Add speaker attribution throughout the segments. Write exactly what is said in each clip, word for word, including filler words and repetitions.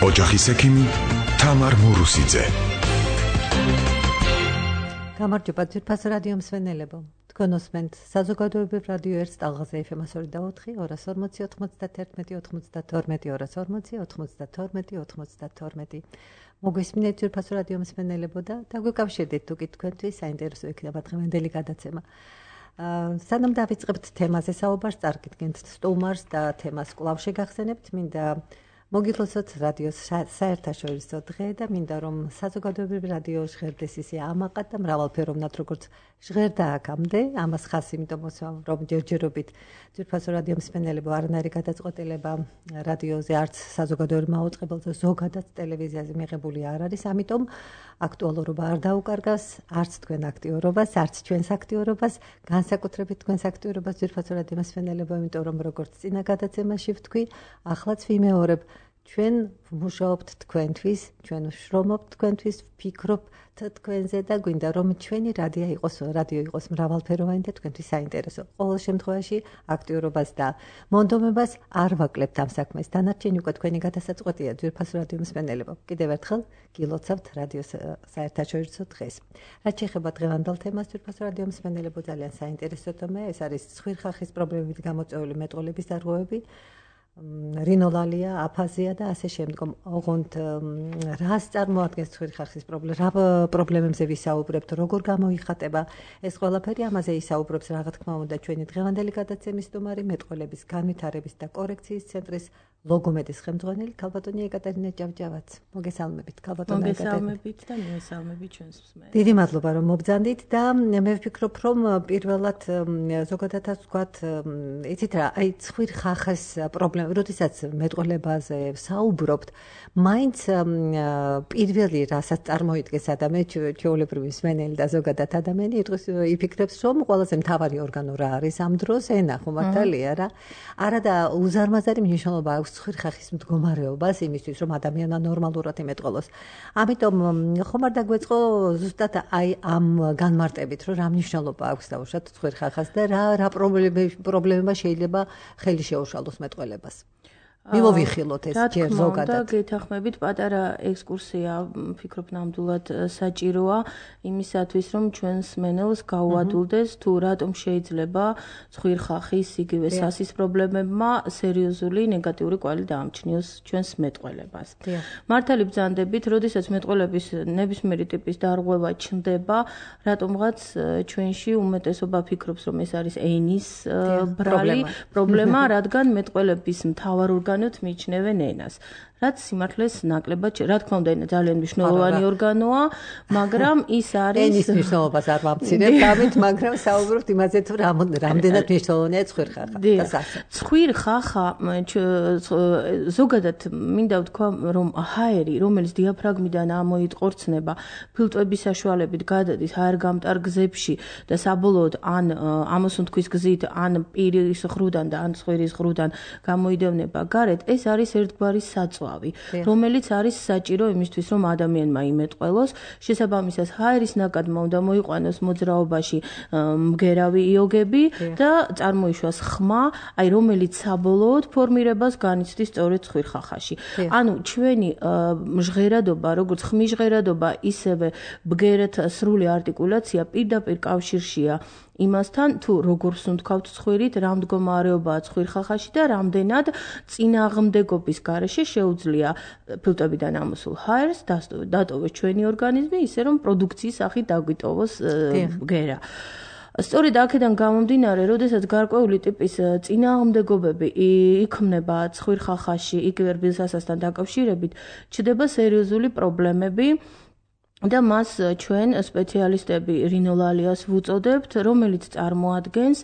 Speaker 1: ოჯახის ექიმი თამარ მურუსიძე.
Speaker 2: გამარჯობა ძვირფას რადიო მსმენელებო. თქვენ უსმენთ საზოგადოებრივ რადიო ერთ ტალღაზე ეფ ემ სამოცდაოთხი, ორას ორმოცი, ოცდაათი, ოცდათორმეტი, ორას ორმოცი, ოცდათორმეტი, ოცდათორმეტი. მოგვისმინეთ ძვირფას რადიო მსმენელებო და დაგვიკავშირდით თუ კი თქვენთვის საინტერესო იქნება დღევანდელი გადაცემა. სანამ დავიწყებთ თემაზე საუბარს, წარგიდგენთ სტუმარს და თემას კვლავ შეგახსენებთ, მინდა მოგილოცოთ რადიოს საერთაშორისო დღე და მინდა რომ საზოგადოებრივ რადიო ჟღერდეს ისე ამაყად და მრავალფეროვნად როგორც ჟღერდა აქამდე, ამას ხაზი იმიტომ რომ ჯერჯერობით ძვირფასო რადიო მსმენელებო არანაირი გადაწყვეტილება რადიოზე არც საზოგადოებრივ მაუწყებელზე ზოგადად ტელევიზიაზე მიღებული არ არის, ამიტომ აქტუალურობა არ დაუკარგავს არც თქვენ აქტიურობას, არც ჩვენს აქტიურობას, განსაკუთრებით თქვენს აქტიურობას ძვირფასო რადიო მსმენელებო, იმიტომ რომ როგორც წინა გადაცემაში ვთქვი, ახლაც ვიმეორებ ჩვენ ვმუშაობთ თქვენთვის, ჩვენ ვშრომობთ თქვენთვის, ვფიქრობთ თქვენზე და გვინდა რომ ჩვენი რადიო იყოს, რადიო იყოს მრავალფეროვანი და თქვენთვის საინტერესო. ყოველ შემთხვევაში აქტიურობას და მონდომებას არ ვაკლებთ ამ საქმეს. დანარჩენი უკვე თქვენი გადასაწყვეტია ძვირფასო რადიო მსმენელებო. კიდევ ერთხელ გილოცავთ რადიოს საერთაშორისო დღეს. რაც შეეხება დღევანდელ თემას ძვირფასო რადიო მსმენელებო, ძალიან საინტერესო თემა, ეს არის ცხვირხახის პრობლემებით გამოწვეული მეტყველების დარღვევები. რინოლალია, აფაზია და ასე შემდგომ. ოღონდ რას წარმოადგენს ცხვირხახის პრობლემა, რა პრობლემებზე ვისაუბრებთ, როგორ გამოიხატება ეს ყველაფერი, ამაზე ისაუბრებს რა თქმა უნდა ჩვენი დღევანდელი გადაცემის სტუმარი, მეტყველების განვითარების და კორექციის ცენტრის ლოგომედის ხელმძღვანელი ქალბატონი ეკატერინა ჭავჭავაც. მოგესალმებით ქალბატონი ეკატერინა.
Speaker 3: მოგესალმებით და მიესალმებით ჩვენს მსმენელს.
Speaker 2: დიდი მადლობა რომ მობრძანდით და მე ვფიქრობ რომ პირველად ზოგადადაც ვთქვათ, იცით რა, აი ცხვირხახის პრობლემა როდესაც მეტყველებაზე საუბრობთ, მაინც პირველი რასაც წარმოიდგენს ადამიანი, ჩვეულებრივი მსმენელი და ზოგადად ადამიანი იფიქრებს, რომ ყველაზე მთავარი ორგანო რა არის ამ დროს, ენა ხო მართალია რა. არადა უზარმაზარი მნიშვნელობა აქვს ცხვირხახის მდგომარეობას იმისთვის, რომ ადამიანმა ნორმალურად იმეტყველოს. ამიტომ ხომ არ დაგვეწყო ზუსტად აი ამ განმარტებით, რომ რა მნიშვნელობა აქვს დაუშვათ ცხვირხახას და რა რა პრობლემა შეიძლება ხელი შეუშალოს მეტყველებას. მივოვიხილოთ ეს ჯერ ზოგადად.
Speaker 3: და გეთახმებით პატარა ექსკურსია, ვფიქრობ ნამდვილად საჭიროა იმისათვის, რომ ჩვენს მსმენელს გაუადვილდეს თუ რატომ შეიძლება ცხვირხახის იგივე სასის პრობლემებმა სერიოზული ნეგატიური კვალი დაამჩნიოს ჩვენს მეტყველებას. მართალი ბრძანდებით, როდესაც მეტყველების ნებისმიერი ტიპის დარღვევა ჩნდება, რატომღაც ჩვენში უმეტესობა ფიქრობს, რომ ეს არის ენის ბრალი პრობლემა, რადგან მეტყველების მთავარ ორგანოდ მიიჩნევენ ენას. რაც სიმართლეს ნაკლებად, რა თქმა უნდა, ენა ძალიან მნიშვნელოვანი ორგანოა, მაგრამ ის არის
Speaker 2: ენის მნიშვნელობას არ ვამცირებთ, ამით, მაგრამ საუბრობთ იმაზე, თუ რამდენად მნიშვნელოვანია ცხვირხახა.
Speaker 3: ცხვირხახა ზოგადად მინდა ვთქვა, რომ ჰაერი, რომელიც დიაფრაგმიდან ამოიტყორცნება, ფილტვების საშუალებით გადადის ჰაერგამტარ გზებში და საბოლოოდ ან ამოსუნთქვის გზით, ან პირის ხრუდან და ან ცხვირის ხრუდან გამოიდევნება გარეთ, ეს არის ერთგვარი საწვა, რომელიც არის საჭირო იმისთვის, რომ ადამიანმა იმეტყველოს. შესაბამისად, ჰაერის ნაკადმა უნდა მოიყვანოს მოძრაობაში მგერავი იოგები და წარმოიშვას ხმა, აი რომელიც საბოლოოდ ფორმირებას განიცდის სწორედ ცხვირხახაში. ანუ ჩვენი ჟღერადობა, როგორც ხმის ჟღერადობა, ისევე ბგერათა სრული არტიკულაცია პირდაპირ კავშირშია იმასთან, თუ როგორ ვსუნთქავთ ცხვირით, რა მდგომარეობაა ცხვირხახაში და რამდენად წინააღმდეგობის გარეშე შეუძლია ფილტვებიდან ამოსულ ჰაერს დატოვოს ჩვენი ორგანიზმი, ისე რომ პროდუქციის სახით დაგვიტოვოს ბგერა. სწორედ აქედან გამომდინარე, როდესაც გარკვეული ტიპის წინააღმდეგობები იქმნება ცხვირხახაში, იგივე რბილსასასთან დაკავშირებით, ჩნდება სერიოზული პრობლემები. და მას ჩვენ სპეციალისტები რინოლალიას ვუწოდებთ, რომელიც წარმოადგენს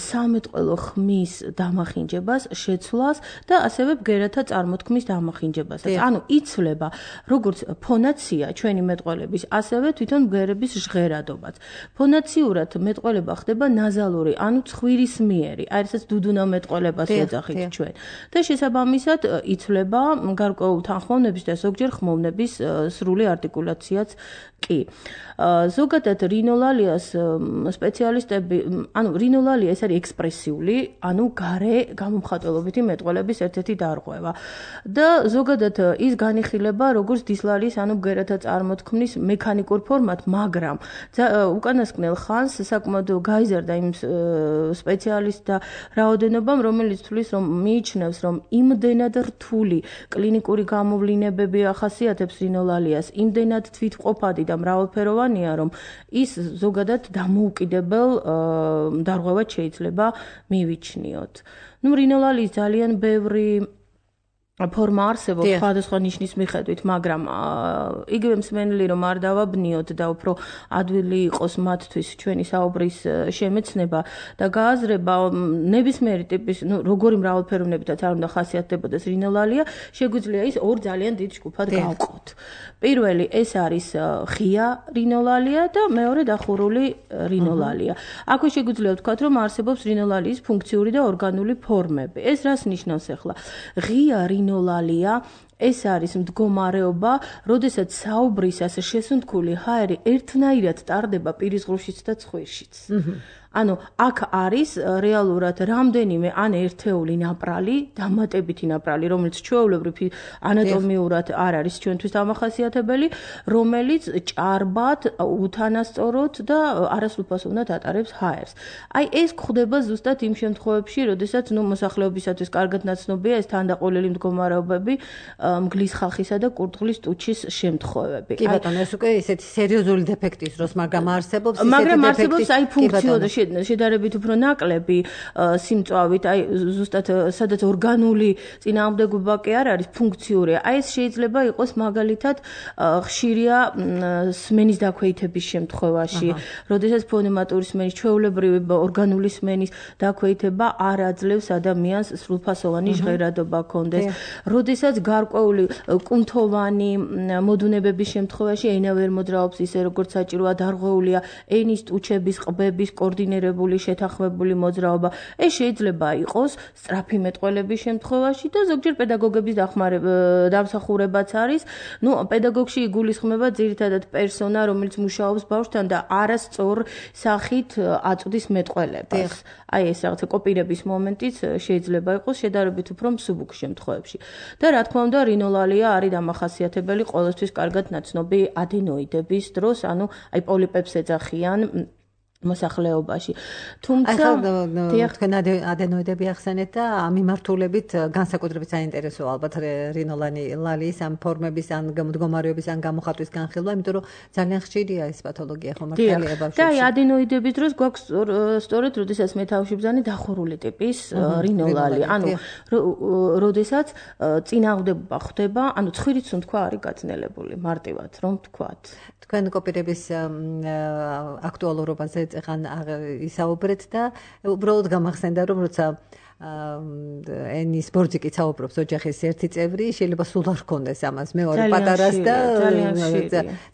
Speaker 3: სამეტყველო ხმის დამახინჯებას, შეცვლას და ასევე ბგერათა წარმოთქმის დამახინჯებასაც. ანუ იცვლება როგორც ფონაცია ჩვენი მეტყველების, ასევე თვითონ ბგერების ჟღერადობაც. ფონაციურად მეტყველება ხდება ნაზალური, ანუ ცხვირისმიერი, აი რასაც დუდუნა მეტყველებას ვეძახით ჩვენ. და შესაბამისად იცვლება გარკვეულ თანხმოვნების და ზოგჯერ ხმოვნების სრული არტიკულაციაც კი. ზოგადად რინოლალიას სპეციალისტები, ანუ რინოლალია ეს არის ექსპრესიული, ანუ გარე გამომხატველობითი მეტყველების ერთ-ერთი დარღვევა. და ზოგადად ის განიხილება როგორც დისლალიის, ანუ ბგერათა წარმოთქმის მექანიკურ ფორმად, მაგრამ უკანასკნელ ხანს საკმაოდ გაიზარდა იმ სპეციალისტთა რაოდენობამ, რომელიც თვლის, რომ მიიჩნევს, რომ იმდენად რთული კლინიკური გამოვლინებები ახასიათებს რინოლალიას, იმდენად თვითმყოფადი და მრავალფეროვანია, რომ ის ზოგადად დამოუკიდებელ დარღვევად შეიძლება მივიჩნიოთ. ნუ რინოლალიის ძალიან ბევრი ფორმა არსებობს სხვადასხვა ნიშნის მიხედვით, მაგრამ იგივე მსმენელი რომ არ დავაბნიოთ და უფრო ადვილი იყოს მათთვის ჩვენი საუბრის შემეცნება და გააზრება ნებისმიერი ტიპის, ნუ როგორი მრავალფეროვნებითაც არ უნდა ხასიათდებოდეს რინოლალია, შეგვიძლია ის ორ ძალიან დიდ ჯგუფად გავყოთ. პირველი ეს არის ღია რინოლალია და მეორე დახურული რინოლალია. აქვე შეგვიძლია ვთქვათ, რომ არსებობს რინოლალიის ფუნქციური და ორგანული ფორმები. ეს რას ნიშნავს ახლა? ღია რინოლალია ეს არის მდგომარეობა, როდესაც საუბრის ასე შესუნთქული ჰაერი ერთნაირად ტარდება პირისღრუშიც და ცხვირშიც. ანუ აქ არის რეალურად რამდენიმე ან ერთეული ნაპრალი, დამატებითი ნაპრალი, რომელიც ჩვეულებრივ ანატომიურად არ არის ჩვენთვის დამახასიათებელი, რომელიც ჭარბად, უთანასწოროდ და არასრულფასოვნად ატარებს ჰაერს. აი ეს გვხდება ზუსტად იმ შემთხვევებში, როდესაც ნუ მოსახლეობისათვის კარგად ნაცნობია ეს თანდაყოლილი მდგომარეობები, მგლის ხალხისა და კურდღლის ტუჩის შემთხვევები.
Speaker 2: კი ბატონო, ეს უკვე ისეთი სერიოზული დეფექტის დროს, მაგრამ არსებობს
Speaker 3: ისეთი დეფექტი. მაგრამ არსებობს აი ფუნქციური შედარებით უფრო ნაკლები სიმწვავით, აი ზუსტად სადაც ორგანული წინააღმდეგობა კი არ არის ფუნქციური. აი ეს შეიძლება იყოს მაგალითად ხშირია სმენის დაქვეითების შემთხვევაში, როდესაც ფონემატური სმენის, ჩვეულებრივი ორგანული სმენის დაქვეითება არ აძლევს ადამიანს სრულფასოვანი ჟღერადობა ჰქონდეს. როდესაც გარკვეული კუნთოვანი მოდუნებების შემთხვევაში ენა ვერ მოძრაობს ისე როგორც საჭიროა, დარღვეულია ენის ტუჩების, ყბების კოორდინირებული შეთანხმებული მოძრაობა. ეს შეიძლება იყოს სწრაფი მეტყველების შემთხვევაში და ზოგჯერ პედაგოგების დამსახურებაც არის. ნუ პედაგოგში იგულისხმება ძირითადად პერსონა, რომელიც მუშაობს ბავშვთან და არასწორ სახით აწვდის მეტყველებას. აი ეს რაღაცა კოპირების მომენტიც შეიძლება იყოს შედარებით უფრო მსუბუქ შემთხვევებში. და რა თქმა უნდა, რინოლალია არის დამახასიათებელი ყოველთვის კარგად ნაცნობი ადენოიდების დროს, ანუ აი პოლიპებს ეძახიან მოსახლეობაში. თუმცა
Speaker 2: თქვენ ადენოიდები ახსენეთ და ამ მიმართულებით განსაკუთრებით საინტერესოა ალბათ რინოლალიის ამ ფორმების ან მდგომარეობის ან გამოხატვის განხილვა, იმიტომ რომ ძალიან ხშირია ეს პათოლოგია ხო მართალია ბავშვებში.
Speaker 3: და აი ადენოიდების დროს გვაქვს სწორედ როდესაც მეთავშიბზანი დახურული ტიპის რინოლალია. ანუ როდესაც წინააღმდეგობა ხდება, ანუ ცხვირიც თქვა არის გაძნელებული მარტივად რომ ვთქვათ.
Speaker 2: თქვენ კოპირების აქტუალურობაზე ეხან ისაუბრეთ და უბრალოდ გამახსენდა რომ როცა ენის ბორძიკი საუბრობს ოჯახის ერთი წევრი, შეიძლება სულ არ ჰქონდეს ამას მეორე პატარას და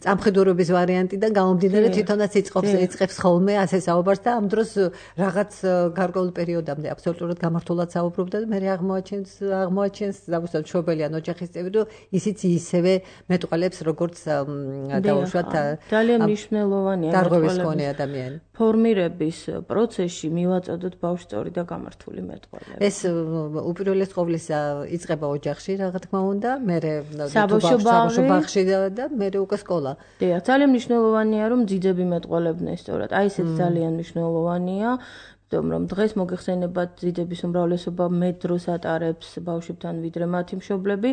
Speaker 2: წამხედურობის ვარიანტიდან გამომდინარე თვითონაც იწყობს იწყებს ხოლმე ასე საუბარს და ამ დროს რაღაც გარკვეულ პერიოდამდე აბსოლუტურად გამართულად საუბრობდა და მე აღმოაჩენს აღმოაჩენს ზოგადად მშობელი ან ოჯახის წევრი რომ ისიც ისევე მეტყველებს როგორც დაუშვათ
Speaker 3: ძალიან მნიშვნელოვანია
Speaker 2: დარღვევის მქონე ადამიანი.
Speaker 3: ფორმირების პროცესში მივაწოდოთ ბავშვწორი და გამართული მეტყველება.
Speaker 2: ეს უპირველეს ყოვლისა იწყება ოჯახში, რა თქმა უნდა, მერე
Speaker 3: საბავშვო
Speaker 2: ბაღში და მერე უკვე სკოლა.
Speaker 3: დიახ, ძალიან მნიშვნელოვანია რომ ძიძები მეტყველებდნენ სწორად. აი ესეც ძალიან მნიშვნელოვანია. რომ დღეს მოგეხსენებათ ძიძების უმრავლესობა მეტ დროს ატარებს ბავშვებთან ვიდრე მათი მშობლები,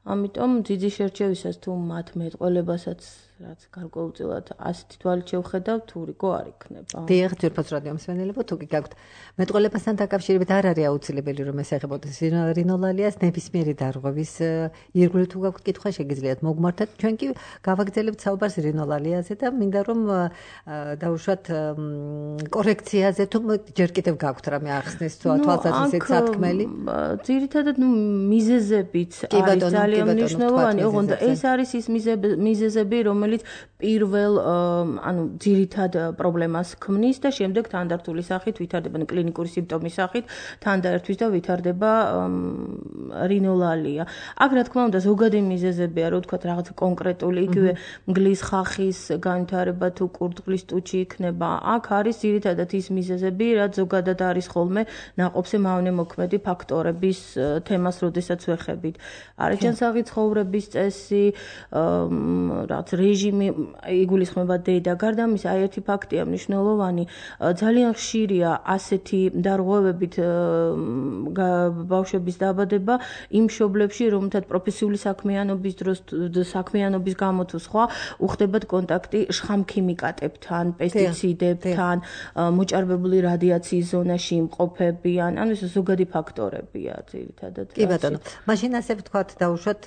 Speaker 3: ამიტომ ძიძის შერჩევისას თუ მათ მეტყველებასაც რაც გარკვეულწილად ასეთი თვალით შევხედავთ, თუ რიგო არ იქნება.
Speaker 2: დიახ, ძვირფას რადიო მსმენელებო, თუ კი გაქვთ მეტყველებასთან დაკავშირებით არ არის აუცილებელი რომ ესახებოდეს რინოლალიას ნებისმიერი დარღვევის ირგვლივ თუ გაქვთ კითხვა შეგიძლიათ მოგმართოთ. ჩვენ კი გავაგრძელებთ საუბარს რინოლალიაზე და მინდა რომ დავუშვათ კორექციაზე თუ ჯერ კიდევ გაქვთ რამე ახსნეს თუ თვალსაზრისით სათქმელი.
Speaker 3: ძირითადად ნუ მიზეზებიც არის ძალიან მნიშვნელოვანი, ოღონდ ეს არის ის მიზეზები, რომელიც რომელიც პირველ ანუ ძირითად პრობლემას ქმნის და შემდეგ თანდართული სახით ვითარდება კლინიკური სიმპტომის სახით თანდაერთვის და ვითარდება რინოლალია. აქ რა თქმა უნდა ზოგადი მიზეზებია, რო ვთქვათ რაღაც კონკრეტული იგივე მგლის ხახის განვითარება თუ კურდღლის ტუჩი იქნება. აქ არის ძირითადად ის მიზეზები, რაც ზოგადად არის ხოლმე ნაყოფზე მავნე მოქმედი ფაქტორების თემას, როდესაც ვეხებით. არაჯანსაღი ცხოვრების წესი, რაც რეჟიმი იგულისხმება დედა. გარდა ამისა, აი ერთი ფაქტია მნიშვნელოვანი, ძალიან ხშირია ასეთი დარღვევებით ბავშვების დაბადება იმ მშობლებში, რომელთაც პროფესიული საქმიანობის დროს საქმიანობის გამო თუ სხვა უხდებათ კონტაქტი შხამქიმიკატებთან, პესტიციდებთან, მოჭარბებული რადიაციის ზონაში იმყოფებიან, ანუ ეს ზოგადი ფაქტორებია ძირითადად.
Speaker 2: კი ბატონო, მაშინ ასე ვთქვათ, დავუშვათ,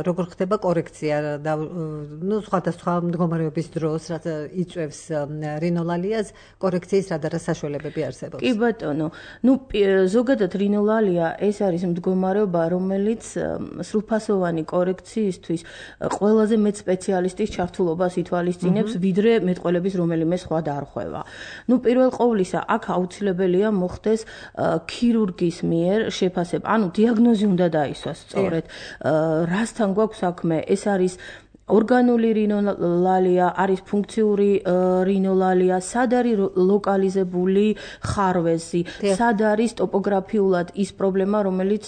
Speaker 2: როგორ ხდება კორექცია და ნუ სხვადასხვა მდგომარეობის დროს, რაც იწვევს რინოლალიას, კორექციის რა და რა საშუალებები არსებობს?
Speaker 3: კი ბატონო, ნუ ზოგადად რინოლალია ეს არის მდგომარეობა, რომელიც სრულფასოვანი კორექციისთვის ყველაზე მეტ სპეციალისტის ჩართულობას ითვალისწინებს, ვიდრე მეტყველების რომელიმე სხვა დარღვევა. ნუ პირველ ყოვლისა, აქ აუცილებელია მოხდეს ქირურგის მიერ შეფასება, ანუ დიაგნოზი უნდა დაისვას სწორედ. რასთან გვაქვს საქმე? ეს არის ორგანული რინოლალია, არის ფუნქციური რინოლალია, სად არის ლოკალიზებული ხარვეზი, სად არის ტოპოგრაფიულად ის პრობლემა, რომელიც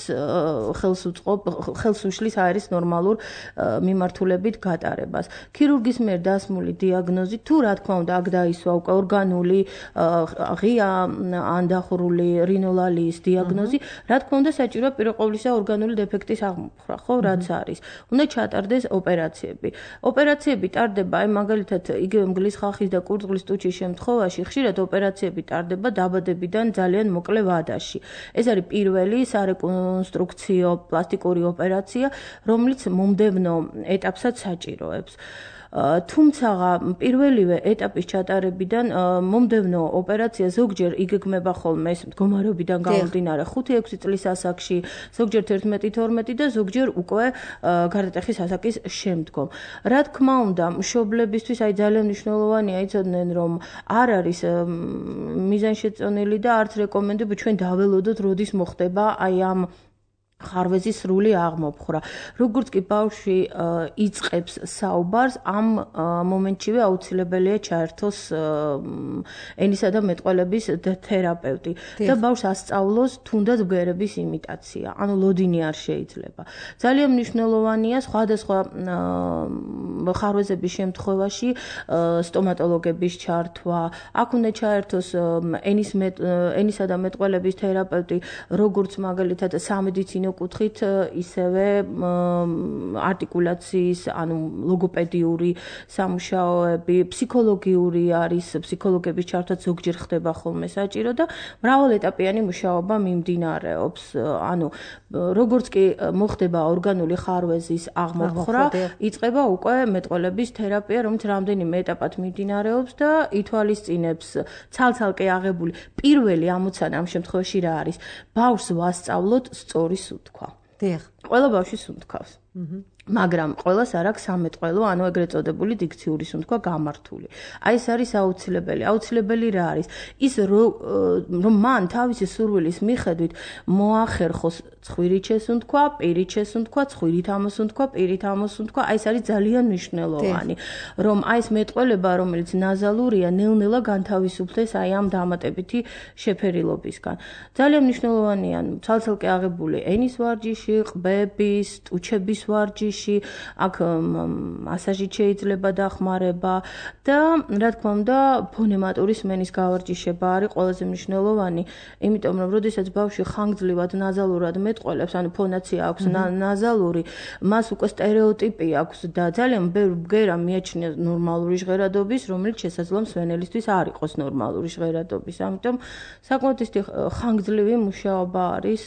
Speaker 3: ხელს უწყობს, ხელს უშლის აერის ნორმალურ მიმართულებით გატარებას. ქირურგის მიერ დასმული დიაგნოზი, თუ რა თქმა უნდა, აქ დაისვა უკვე ორგანული ღია ან დახურული რინოლალიის დიაგნოზი, რა თქმა უნდა, საჭიროა პირველ ყოვლისა ორგანული დეფექტის აღმოფხვრა, ხო, რაც არის. უნდა ჩატარდეს ოპერაციები. ოპერაციები ტარდება, აი მაგალითად, იგივე მგლის ხახის და კურდღლის ტუჩის შემთხვევაში ხშირად ოპერაციები ტარდება დაბადებიდან ძალიან მოკლე ვადაში. ეს არის პირველი სარეკონსტრუქციო პლასტიკური ოპერაცია, რომელიც მომდევნო ეტაპსაც საჭიროებს. თუმცა პირველივე ეტაპის ჩატარებიდან მომდევნო ოპერაცია ზოგჯერ იგეგმება ხოლმე ეს მდგომარეობიდან გამომდინარე ხუთი ექვსი წლის ასაკში, ზოგჯერ თერთმეტი თორმეტი და ზოგჯერ უკვე გარდატეხის ასაკის შემდგომ. რა თქმა უნდა, მშობლებისთვის აი ძალიან მნიშვნელოვანია იცოდნენ, რომ არ არის მიზანშეწონილი და არც რეკომენდები ჩვენ დაველოდოთ, როდის მოხდება აი ამ ხარვეზის სრული აღმოფხვრა. როგორც კი ბავშვი იწყებს საუბარს, ამ მომენტშივე აუცილებელია ჩაერთოს ენისა და მეტყველების თერაპევტი და ბავშვს ასწავლოს თუნდაც ბგერების იმიტაცია, ანუ ლოდინი არ შეიძლება. ძალიან მნიშვნელოვანია სხვადასხვა ხარვეზების შემთხვევაში სტომატოლოგების ჩართვა. აქ უნდა ჩაერთოს ენის ენისა და მეტყველების თერაპევტი, როგორც მაგალითად სამედიცინო კუთხით, ისევე არტიკულაციის, ანუ ლოგოპედიური სამუშაოები, ფსიქოლოგიური არის, ფსიქოლოგების ჩართვა ზოგჯერ ხდება ხოლმე საჭირო და მრავალეტაპიანი მუშაობა მიმდინარეობს. ანუ როგორც კი მოხდება ორგანული ხარვეზის აღმოფხვრა, იწყება უკვე მეტყველების თერაპია, რომელიც რამდენიმე ეტაპად მიმდინარეობს და ითვალისწინებს ცალ-ცალკე აღებული პირველი ამოცანა ამ შემთხვევაში რა არის? ბავშვს ვასწავლოთ სწორი სუნთქვა.
Speaker 2: დიახ.
Speaker 3: ყველა ბავშვი სუნთქავს. მაგრამ ყველას არ აქვს სამეტყველო, ანუ ეგრეთ წოდებული დიქციური სუნთქვა გამართული. აი ეს არის აუცილებელი. აუცილებელი რა არის? ის რომ მან თავისი სურვილის მიხედვით მოახერხოს ცხვირით შესუნთქვა, პირით შესუნთქვა, ცხვირით ამოსუნთქვა, პირით ამოსუნთქვა, აი ეს არის ძალიან მნიშვნელოვანი, რომ აი ეს მეტყველება, რომელიც ნაზალურია, ნელ-ნელა განთავისუფლდეს აი ამ დამატებითი შეფერილობისგან. ძალიან მნიშვნელოვანია ცალ-ცალკე აღებული ენის ვარჯიში, ყბების, ტუჩების ვარჯიში, აქ მასაჟით შეიძლება დახმარება და რა თქმა უნდა ფონემატური სმენის გავარჯიშება არის ყველაზე მნიშვნელოვანი, იმიტომ რომ როდესაც ბავშვი ხანგრძლივად ნაზალურად მეტყველებს, ანუ ფონაცია აქვს ნაზალური, მას უკვე სტერეოტიპი აქვს და ძალიან ბევრი ბგერა მიაჩნია ნორმალური ჟღერადობის, რომელიც შესაძლოა მსვენელისთვის არ იყოს ნორმალური ჟღერადობის. ამიტომ საკმაოდ ხანგრძლივი მუშაობა არის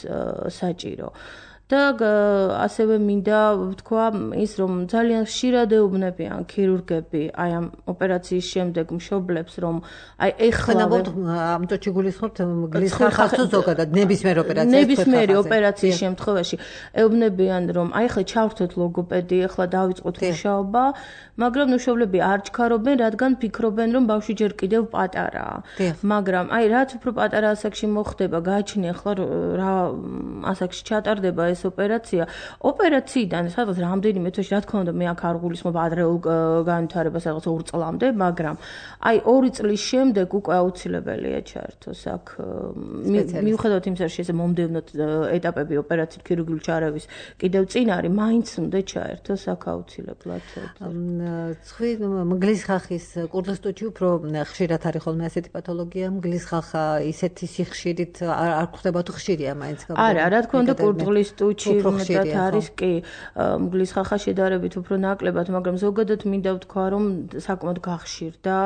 Speaker 3: საჭირო. და ასევე მინდა ვთქვა ის რომ ძალიან ხშირად ეუბნებიან ქირურგები აი ამ ოპერაციის შემდეგ მშობლებს რომ აი ეხლა
Speaker 2: ამიტომ შეგულისხმობთ მგლის ხახას თუ ზოგადად ნებისმიერ ოპერაციაში
Speaker 3: ნებისმიერი ოპერაციის შემთხვევაში ეუბნებიან რომ აი ეხლა ჩავრთოთ ლოგოპედი ეხლა დავიწყოთ მუშაობა მაგრამ მშობლები არ ჩქარობენ რადგან ფიქრობენ რომ ბავშვი ჯერ კიდევ პატარაა მაგრამ აი რაც უფრო პატარა ასაკში მოხდება გააჩნია ახლა რა ასაკში ჩატარდება ეს ოპერაცია ოპერაციიდან სადღაც რამდენიმე თვეში რა თქმა უნდა მე აქ არ გულისხმობ ადრეულ განვითარებას სადღაც ორ წლამდე მაგრამ აი ორი წლის შემდეგ უკვე აუცილებელია ჩაერთოს აქ მიუხედავად იმისა რომ ეს მომდევნო ეტაპები ოპერაციით ქირურგიული ჩარევის კიდევ წინ არის მაინც უნდა ჩაერთოს აქ აუცილებლად
Speaker 2: ცხვი მგლის ხახის კურდღისტუჩი უფრო ხშირად არის ხოლმე ასეთი პათოლოგია მგლის ხახა ისეთი სიხშირით არ ხდება თუ ხშირია მაინც
Speaker 3: არა რა თქმა უნდა კურდღისტუჩი მეტად არის კი მგლის ხახა შედარებით უფრო ნაკლებად მაგრამ ზოგადად მინდა ვთქვა რომ საკმაოდ გახშირდა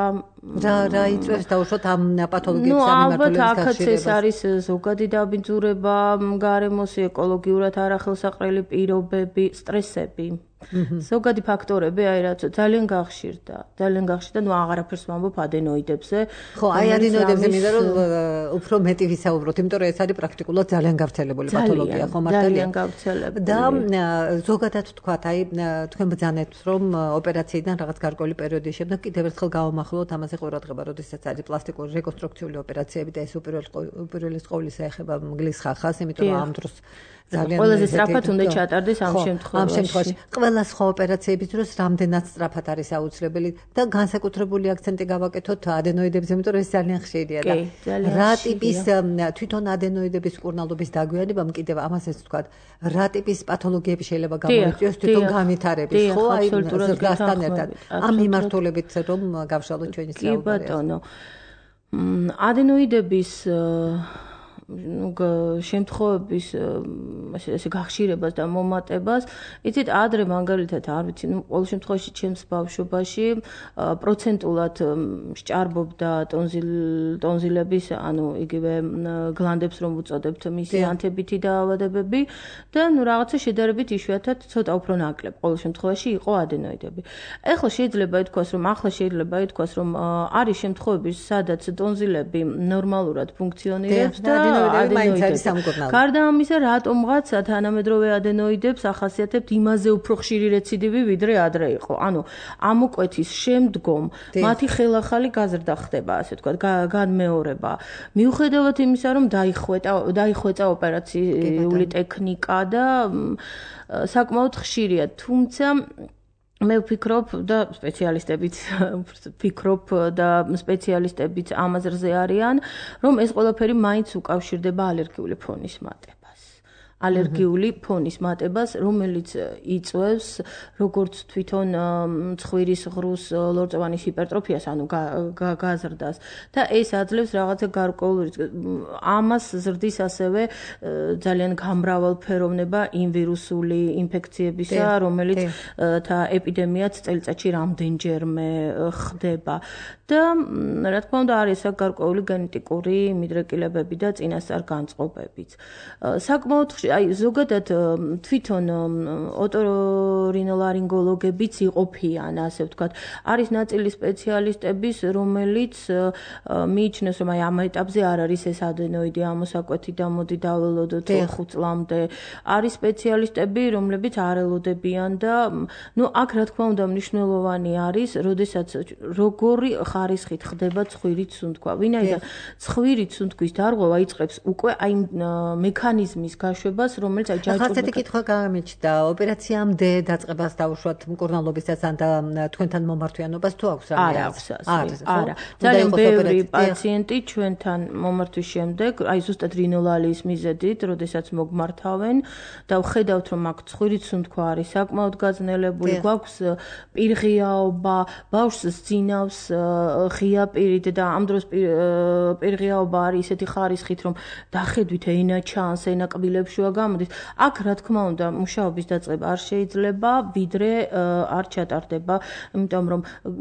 Speaker 2: რა რა იწვევს დაუშვათ ამ პათოლოგიების
Speaker 3: ამიმართულების გახშირებას ნუ ალბათ აქაც ეს არის ზოგადი დაბინძურება გარემოს ეკოლოგიურად არახელსაყრელი პირობები სტრესები ზოგადი ფაქტორები აი რაც ძალიან გახშირდა ძალიან გახშირდა ნუ აღარაფერს ვამბობ ადენოიდებზე
Speaker 2: ხო აი ადენოიდებზე მინდა რომ უფრო მეტი ვისაუბროთ იმიტომ რომ ეს არის პრაქტიკულად ძალიან გავრცელებული პათოლოგია ხო მართალია
Speaker 3: ძალიან გავრცელებული
Speaker 2: და ზოგადად თქვათ აი თქვენ ბრძანეთ რომ ოპერაციიდან რაღაც გარკვეული პერიოდის შემდეგ კიდევ ერთხელ გავამახვილოთ ამაზე ყურადღება როდესაც არის პლასტიკური რეკონსტრუქციული ოპერაციები და ეს უპირველეს ყოვლისა ეხება მგლის ხახას იმიტომ რომ ამ დროს ძალიან
Speaker 3: ყველაზე სწრაფად უნდა ჩატარდეს ამ შემთხვევაში.
Speaker 2: ამ შემთხვევაში ყველა სხვა ოპერაციების დროს რამდენად სწრაფად არის აუცილებელი და განსაკუთრებული აქცენტი გავაკეთოთ ადენოიდებზე, იმიტომ რომ ეს ძალიან ხშირია და რა ტიპის თვითონ ადენოიდების მკურნალობის დაგვიანებამ კიდევ ამასაც ვთქვათ, რა ტიპის პათოლოგიები შეიძლება გამოიწვიოს თვითონ განვითარების, ხო, აი ზრდასთან ერთად. ამ მიმართულებით რომ გავშალოთ ჩვენი საუბარი.
Speaker 3: კი ბატონო. ადენოიდების ну შემთხვევების ესე გახშირებას და მომატებას იცით ადრე მაგალითად არ ვიცი ну ყოველ შემთხვევაში ჩემს ბავშვობაში პროცენტულად სჭარბობდა ტონზილ ტონზილების ანუ იგივე გლანდებს რომ უწოდებთ მისი ანთებითი დაავადებები და ну რაღაცა შედარებით იშვიათად ცოტა უფრო ნაკლებ ყოველ შემთხვევაში იყო ადენოიდები ეხლა შეიძლება ითქვას რომ ახლა შეიძლება ითქვას რომ არის შემთხვევები სადაც ტონზილები ნორმალურად ფუნქციონირებს და ადენოიდები. გარდა ამისა, რატომღაც თანამედროვე ადენოიდებს ახასიათებთ იმაზე უფრო ხშირი რეციდივი ვიდრე ადრე იყო. ანუ ამოკვეთის შემდგომ მათი ხელახალი გაზრდა ხდება, ასე ვთქვათ, განმეორება. მიუხედავად იმისა, რომ დაიხვეწა დაიხვეწა ოპერაციული ტექნიკა და საკმაოდ ხშირია, თუმცა მე ვფიქრობ და სპეციალისტებიც ვფიქრობ და სპეციალისტებიც ამაზრზე არიან, რომ ეს ყველაფერი მაინც უკავშირდება ალერგიული ფონის მატებას. ალერგიული ფონის მატებას, რომელიც იწვევს როგორც თვითონ ცხვირის ღრუს ლორწოვანის ჰიპერტროფიას, ანუ გაზრდას და ეს აძლევს რაღაცა გარკვეული ამას ზრდის ასევე ძალიან გამრავალფეროვნება იმ ვირუსული ინფექციებისა, რომელიც და ეპიდემიაც წელიწადში რამდენჯერმე ხდება და რა თქმა უნდა არის აქ გარკვეული გენეტიკური მიდრეკილებები და წინასწარ განწყობებიც. საკმაოდ აი ზოგადად თვითონ ოტორინოლარინგოლოგებიც იყოფიან, ასე ვთქვათ. არის ნაწილი სპეციალისტების, რომელიც მიიჩნევს, რომ აი ამ ეტაპზე არ არის ეს ადენოიდი ამოსაკვეთი და მოდი დაველოდოთ ხუთ წლამდე. არის სპეციალისტები, რომლებიც არ ელოდებიან და ну აქ რა თქმა უნდა მნიშვნელოვანი არის, როდესაც როგორი ხარისხით ხდება ცხვირის სუნთქვა. ვინაიდან ცხვირის სუნთქვის დარღვევა იწყებს უკვე აი მექანიზმის გაშვებას რომელიც აი ჯაჭვურა.
Speaker 2: ახლა ესეთი კითხვა გამიჩნდა, ოპერაციამდე დაწყებას დავუშვათ მკურნალობისას ან და თქვენთან მომართვიანობას თუ აქვს რამე?
Speaker 3: არა აქვს ასე. არა. ძალიან ბევრი პაციენტი ჩვენთან მომართვის შემდეგ, აი ზუსტად რინოლალიის მიზეზით, როდესაც მოგმართავენ და ვხედავთ რომ აქ ცხვირის სუნთქვა არის საკმაოდ გაძნელებული, გვაქვს პირღიაობა, ბავშვს სძინავს ღია პირით და ამ დროს პირღიაობა არის ისეთი ხარისხით რომ დახედვით ენა ჩანს, ენა კბილებს შუა შეცვლა გამოდის. აქ რა თქმა უნდა, მუშაობის დაწყება არ შეიძლება, ვიდრე არ ჩატარდება, იმიტომ რომ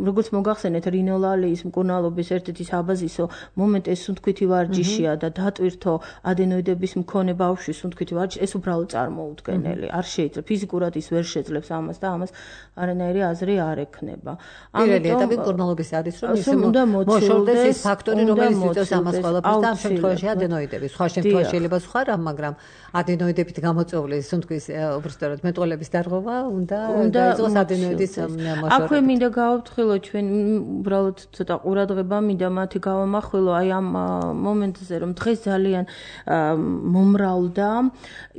Speaker 3: როგორც მოგახსენეთ, რინოლალიის მკურნალობის ერთ-ერთი საბაზისო მომენტი ეს სუნთქვითი ვარჯიშია და დატვირთო ადენოიდების მქონე ბავშვის სუნთქვითი ვარჯიში, ეს უბრალოდ წარმოუდგენელი. არ შეიძლება ფიზიკურად ის ვერ შეძლებს ამას და ამას არანაირი აზრი არ ექნება.
Speaker 2: პირველი ეტაპი მკურნალობის არის, რომ ის მოშორდეს ის ფაქტორი, რომელიც იწვევს ამას ყველაფერს და ამ შემთხვევაში ადენოიდები. სხვა შემთხვევაში შეიძლება სხვა რამ, მაგრამ ადენოიდებით გამოწვეული სუნთქვის უბრალოდ მეტყველების დარღვევა უნდა დაიწყოს ადენოიდის მოშორებით.
Speaker 3: აქვე მინდა გავაფრთხილო ჩვენ უბრალოდ ცოტა ყურადღება მინდა მათი გავამახვილო აი ამ მომენტზე, რომ დღეს ძალიან მომრავლდა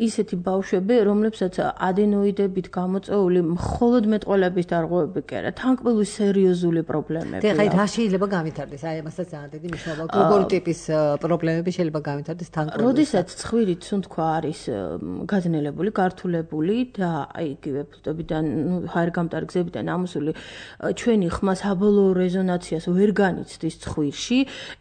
Speaker 3: ისეთი ბავშვები, რომლებსაც ადენოიდებით გამოწვეული მხოლოდ მეტყველების დარღვევები კი არა, თანკმლივი სერიოზული პრობლემები.
Speaker 2: და ხაი რა შეიძლება გავითარდეს? აი ამასაც ძალიან დიდი მნიშვნელობა აქვს. როგორი ტიპის პრობლემები შეიძლება გავითარდეს თანკმლივი?
Speaker 3: როდესაც ცხვირით სუნთქვა არის გაძნელებული, გართულებული და აი იგივე ფუტობიდან, ნუ ჰაერგამტარი გზებიდან ამოსული ჩვენი ხმა საბოლოო რეზონანსიას ვერ განიცდის ცხვირში,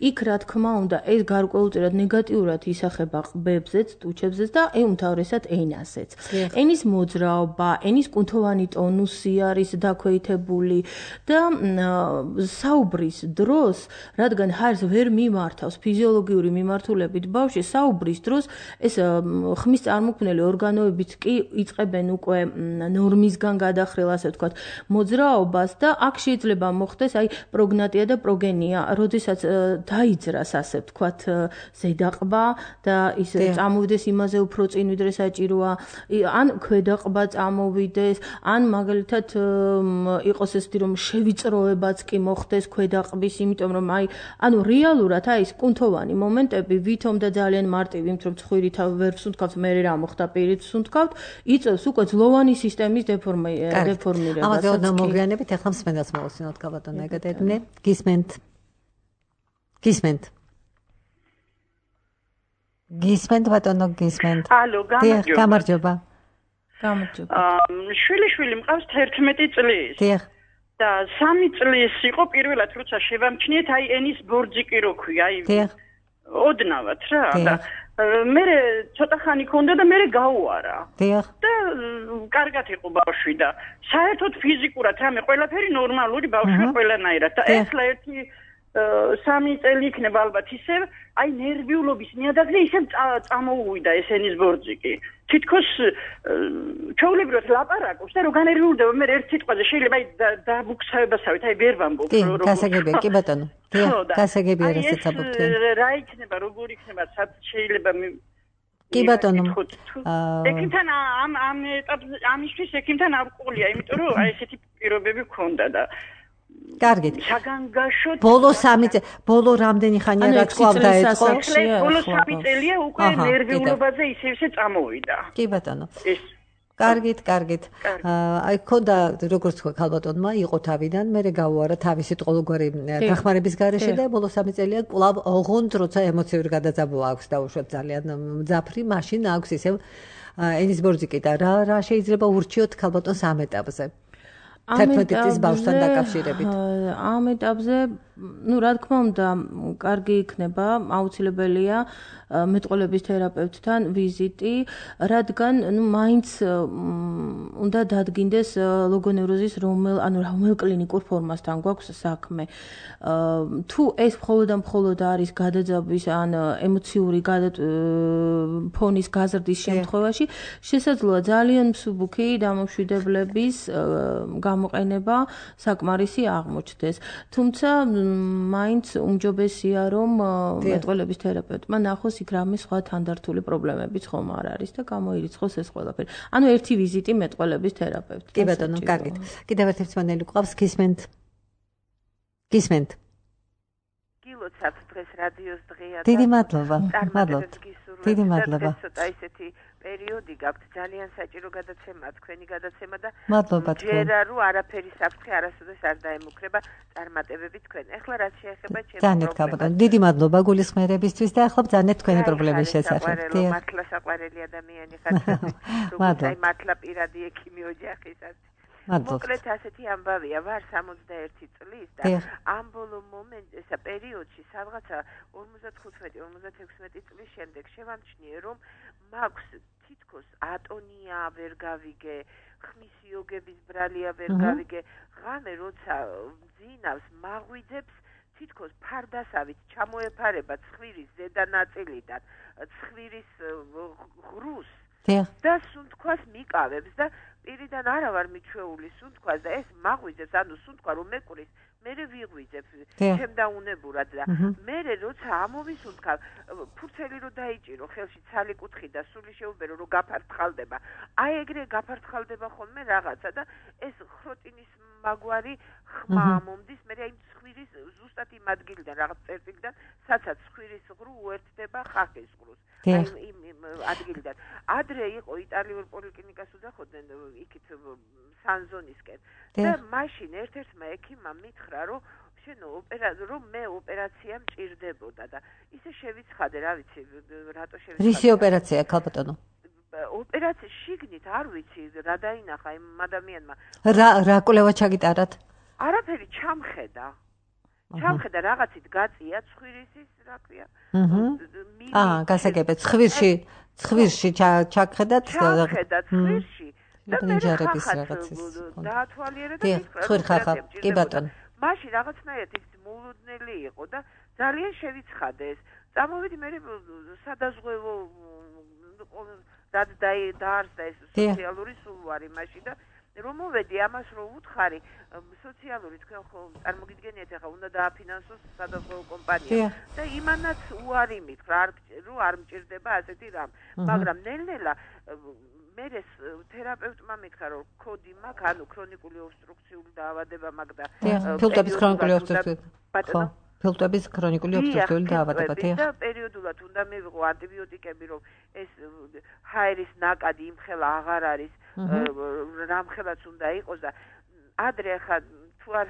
Speaker 3: იქ რა თქმა უნდა ეს გარკვეულწილად ნეგატიურად ისახება ყბებზეც, ტუჩებზეც და უმთავრესად ენაზეც. ენის მოძრაობა, ენის კუნთოვანი ტონუსი არის დაქვეითებული და საუბრის დროს, რადგან ჰაერს ვერ მიმართავს ფიზიოლოგიური მიმართულებით ბავშვი, საუბრის დროს ეს ხმის წარმოქმნელი ორგანოებიც კი იწყებენ უკვე ნორმისგან გადახრილ, ასე ვთქვათ, მოძრაობას და აქ შეიძლება მოხდეს აი პროგნატია და პროგენია, როდესაც დაიძრას, ასე ვთქვათ, ზედაყბა და ის წამოვიდეს იმაზე უფრო წინ ვიდრე საჭიროა, ან ქვედაყბა წამოვიდეს, ან მაგალითად იყოს ესეთი რომ შევიწროებაც კი მოხდეს ქვედაყბის, იმიტომ რომ აი ანუ რეალურად აი ეს კუნთოვანი მომენტები ვითომ და ძალიან მარტივი, იმიტომ რომ ცხვირით ვერ ვსუნთქავთ, მე რა მოხდა პირით ვსუნთქავთ, იწევს უკვე ძლოვანი სისტემის დეფორმირებას.
Speaker 2: ამაზე უნდა მოგვიანებით, ახლა მსმენელს მოვუსმინოთ გაბატონო ეკატერინე. გისმენთ. გისმენთ. გისმენთ ბატონო, გისმენთ.
Speaker 4: ალო, გამარჯობა.
Speaker 2: გამარჯობა.
Speaker 3: გამარჯობა.
Speaker 4: შვილი შვილი მყავს თერთმეტი წლის.
Speaker 2: დიახ.
Speaker 4: და სამი წლის იყო პირველად, როცა შევამჩნიეთ, აი ენის ბორძიკი რო ქვია, აი
Speaker 2: დიახ.
Speaker 4: ოდნავად რა და მე ცოტა ხანი ქონდა და მე გაუარა.
Speaker 2: დიახ.
Speaker 4: და კარგად იყო ბავშვი და საერთოდ ფიზიკურად რამე ყველაფერი ნორმალური ბავშვია ყველანაირად და ეხლა ერთი სამი წელი იქნება ალბათ ისე აი ნერვიულობის ნიადაგზე ისე წამოუვიდა ეს ენის ბორძიკი. თითქოს ჩვეულებრივად ლაპარაკობს და რო განერვიულდება მე ერთ სიტყვაზე შეიძლება აი დაბუქსავებასავით აი ვერ ვამბობ
Speaker 2: რო კი გასაგებია კი ბატონო დიახ გასაგებია რასაც ამბობთ
Speaker 4: რა იქნება როგორ იქნება სად შეიძლება
Speaker 2: კი ბატონო
Speaker 4: ექიმთან ამ ამ ამისთვის ექიმთან ავყოლია იმიტომ რომ აი ესეთი პირობები მქონდა და
Speaker 2: კარგით.
Speaker 4: საგანგაშოდ
Speaker 2: ბოლო სამი წელი, ბოლო რამდენი ხანია რა თქვა დაეწყო?
Speaker 4: ბოლო სამი წელია უკვე ნერვიულობაზე ისე-ისე წამოვიდა.
Speaker 2: კი ბატონო. კარგით, კარგით. აი ქონდა როგორც თქვა ქალბატონმა, იყო თავიდან, მე გაუარა თავისი ტყოლგვარი დახმარების გარეშე და ბოლო სამი წელია კვლავ ოღონდ როცა ემოციური გადაძაბვა აქვს და უშუალოდ ძალიან მძაფრი, მაშინ აქვს ისევ ენის ბორძიკი და რა რა შეიძლება ურჩიოთ ქალბატონს ამ ეტაპზე? თერთმეტი წლის ბავშვთან დაკავშირებით.
Speaker 3: ამ ეტაპზე, ну, რა თქმა უნდა, კარგი იქნება, აუცილებელია მეტყველების თერაპევტთან ვიზიტი, რადგან, ну, მაინც უნდა დადგინდეს ლოგონევროზის რომელ, ანუ რომელ კლინიკურ ფორმასთან გვაქვს საქმე. თუ ეს მხოლოდ და მხოლოდ არის გადაძაბვის ან ემოციური ფონის გაზრდის შემთხვევაში, შესაძლოა ძალიან მსუბუქი დამოშვიდებლების გამოყენება საკმარისი აღმოჩნდეს. თუმცა მაინც უმჯობესია რომ მეტყველების თერაპევტმა ნახოს იქ რამე სხვა თანდართული პრობლემებიც ხომ არ არის და გამოირიცხოს ეს ყველაფერი. ანუ ერთი ვიზიტი მეტყველების თერაპევტთან.
Speaker 2: კი ბატონო, კარგით. კიდევ ერთი მსმენელი გვყავს, გისმენთ. გისმენთ.
Speaker 5: გილოცავთ დღეს რადიოს დღეა.
Speaker 2: დიდი მადლობა. მადლობთ. დიდი მადლობა.
Speaker 5: ცოტა ისეთი პერიოდი გაქვთ ძალიან საჭირო გადაცემა, თქვენი გადაცემა და
Speaker 2: მადლობა თქვენ.
Speaker 5: ჯერა რო არაფერი საფრთხე არასოდეს არ დაემუქრება წარმატებები თქვენ. ეხლა რაც შეეხება ჩემს
Speaker 2: ძალიან გაბატონო. დიდი მადლობა გულისხმიერებისთვის და ახლა ბძანეთ თქვენი პრობლემის შესახებ.
Speaker 5: დიახ. მართლა საყვარელი ადამიანი ხართ. როგორც აი მართლა პირადი ექიმი ოჯახისაც. მოკლედ ასეთი ამბავია, ვარ სამოცდაერთი წლის და ამ ბოლო მომენტ ესა პერიოდში სადღაცა ორმოცდახუთმეტი ორმოცდაექვსმეტი წლის შემდეგ შევამჩნიე რომ მაქვს თითქოს ატონია ვერ გავიგე, ხმის იოგების ბრალია ვერ გავიგე, ღამე როცა მძინავს, მაღვიძებს თითქოს ფარდასავით ჩამოეფარება ცხვირის ზედა ნაწილიდან, ცხვირის ღრუს და სუნთქვას მიკავებს და პირიდან არა ვარ მიჩვეული სუნთქვას და ეს მაღვიძებს, ანუ სუნთქვა რომ მეკურის მერე ვიღვიძებ შემდაუნებურად და მერე როცა ამოვისუნთქავ ფურცელი რო დაიჭირო ხელში ცალი კუთხი და სული შეუბერო რომ გაფართხალდება აი ეგრე გაფართხალდება ხოლმე რაღაცა და ეს ხროტინის მაგვარი ხმა მომდის მერე აი ცხვირის ზუსტად იმ ადგილიდან რაღაც წერტილიდან სადაც ცხვირის ღრუ უერთდება ხახის ღრუს აი იმ ადგილიდან ადრე იყო იტალიურ პოლიკლინიკას უდახოდნენ იქით სანზონისკენ და მაშინ ერთ-ერთმა ექიმმა მითხრა რომ შენო ოპერაცია რომ მე ოპერაცია მჭირდებოდა და ისე შევიცხადე რა ვიცი რატო შევიცხადე
Speaker 2: რისი ოპერაცია ქალბატონო
Speaker 5: ოპერაცია შიგნით არ ვიცი რა დაინახა იმ ადამიანმა
Speaker 2: რა რა კვლევა ჩაგიტარათ
Speaker 5: არაფერი ჩამხედა ჩამხედა რაღაცით გაწია ცხვირისის რა ქვია
Speaker 2: აა გასაგებია ცხვირში ცხვირში ჩაგხედათ
Speaker 5: ჩამხედა ცხვირში და
Speaker 2: ნიჟარების რაღაცის
Speaker 5: დაათვალიერა და
Speaker 2: ცხვირ ხახა კი ბატონო
Speaker 5: მაშინ რაღაცნაირად ის მულუდნელი იყო და ძალიან შევიცხადე ეს წამოვიდი მე სადაზღვევო რაც დაარსდა ეს სოციალური სულვარი მაშინ და რომ მოვედი ამას რო უთხარი სოციალური თქვენ ხო წარმოგიდგენიათ ახლა უნდა დააფინანსოს სადაზღვევო კომპანია და იმანაც უარი მითხრა რომ არ მჭირდება ასეთი რამ მაგრამ ნელ-ნელა მერე თერაპევტმა მითხრა რომ კოდი მაქვს ანუ ქრონიკული ობსტრუქციული დაავადება მაქვს და
Speaker 2: ფილტვების ქრონიკული ობსტრუქციული ხო ფილტვების ქრონიკული ობსტრუქციული დაავადება
Speaker 5: და პერიოდულად უნდა მივიღო ანტიბიოტიკები რომ ეს ჰაერის ნაკადი იმხელა აღარ არის რამხელაც უნდა იყოს და ადრე ხა თუ არ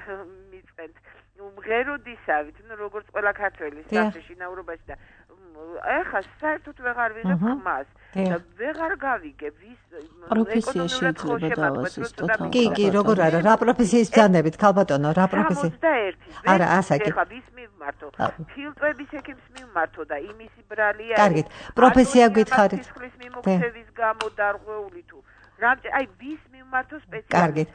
Speaker 5: მიწყენთ მღეროდისავით ნუ როგორც ყველა ქართველი საფრთხეში ნაურობაში და ეხა საერთოდ ვეღარ ვიღებ ხმას და ვეღარ გავიგე ვის
Speaker 3: პროფესია შეიძლება დავასწროს თოთალ
Speaker 2: კი კი როგორ არა რა პროფესიის ბრძანებით ქალბატონო რა პროფესია
Speaker 5: სამოცდაერთი
Speaker 2: არა ასაკი
Speaker 5: ეხა ვის მივმართო ფილტვების ექიმს მივმართო და იმისი ბრალია
Speaker 2: კარგით პროფესია გითხარით
Speaker 5: სისხლის მიმოქცევის გამო დარღვეული თუ აი ვის მივმართო სპეციალისტი
Speaker 2: კარგით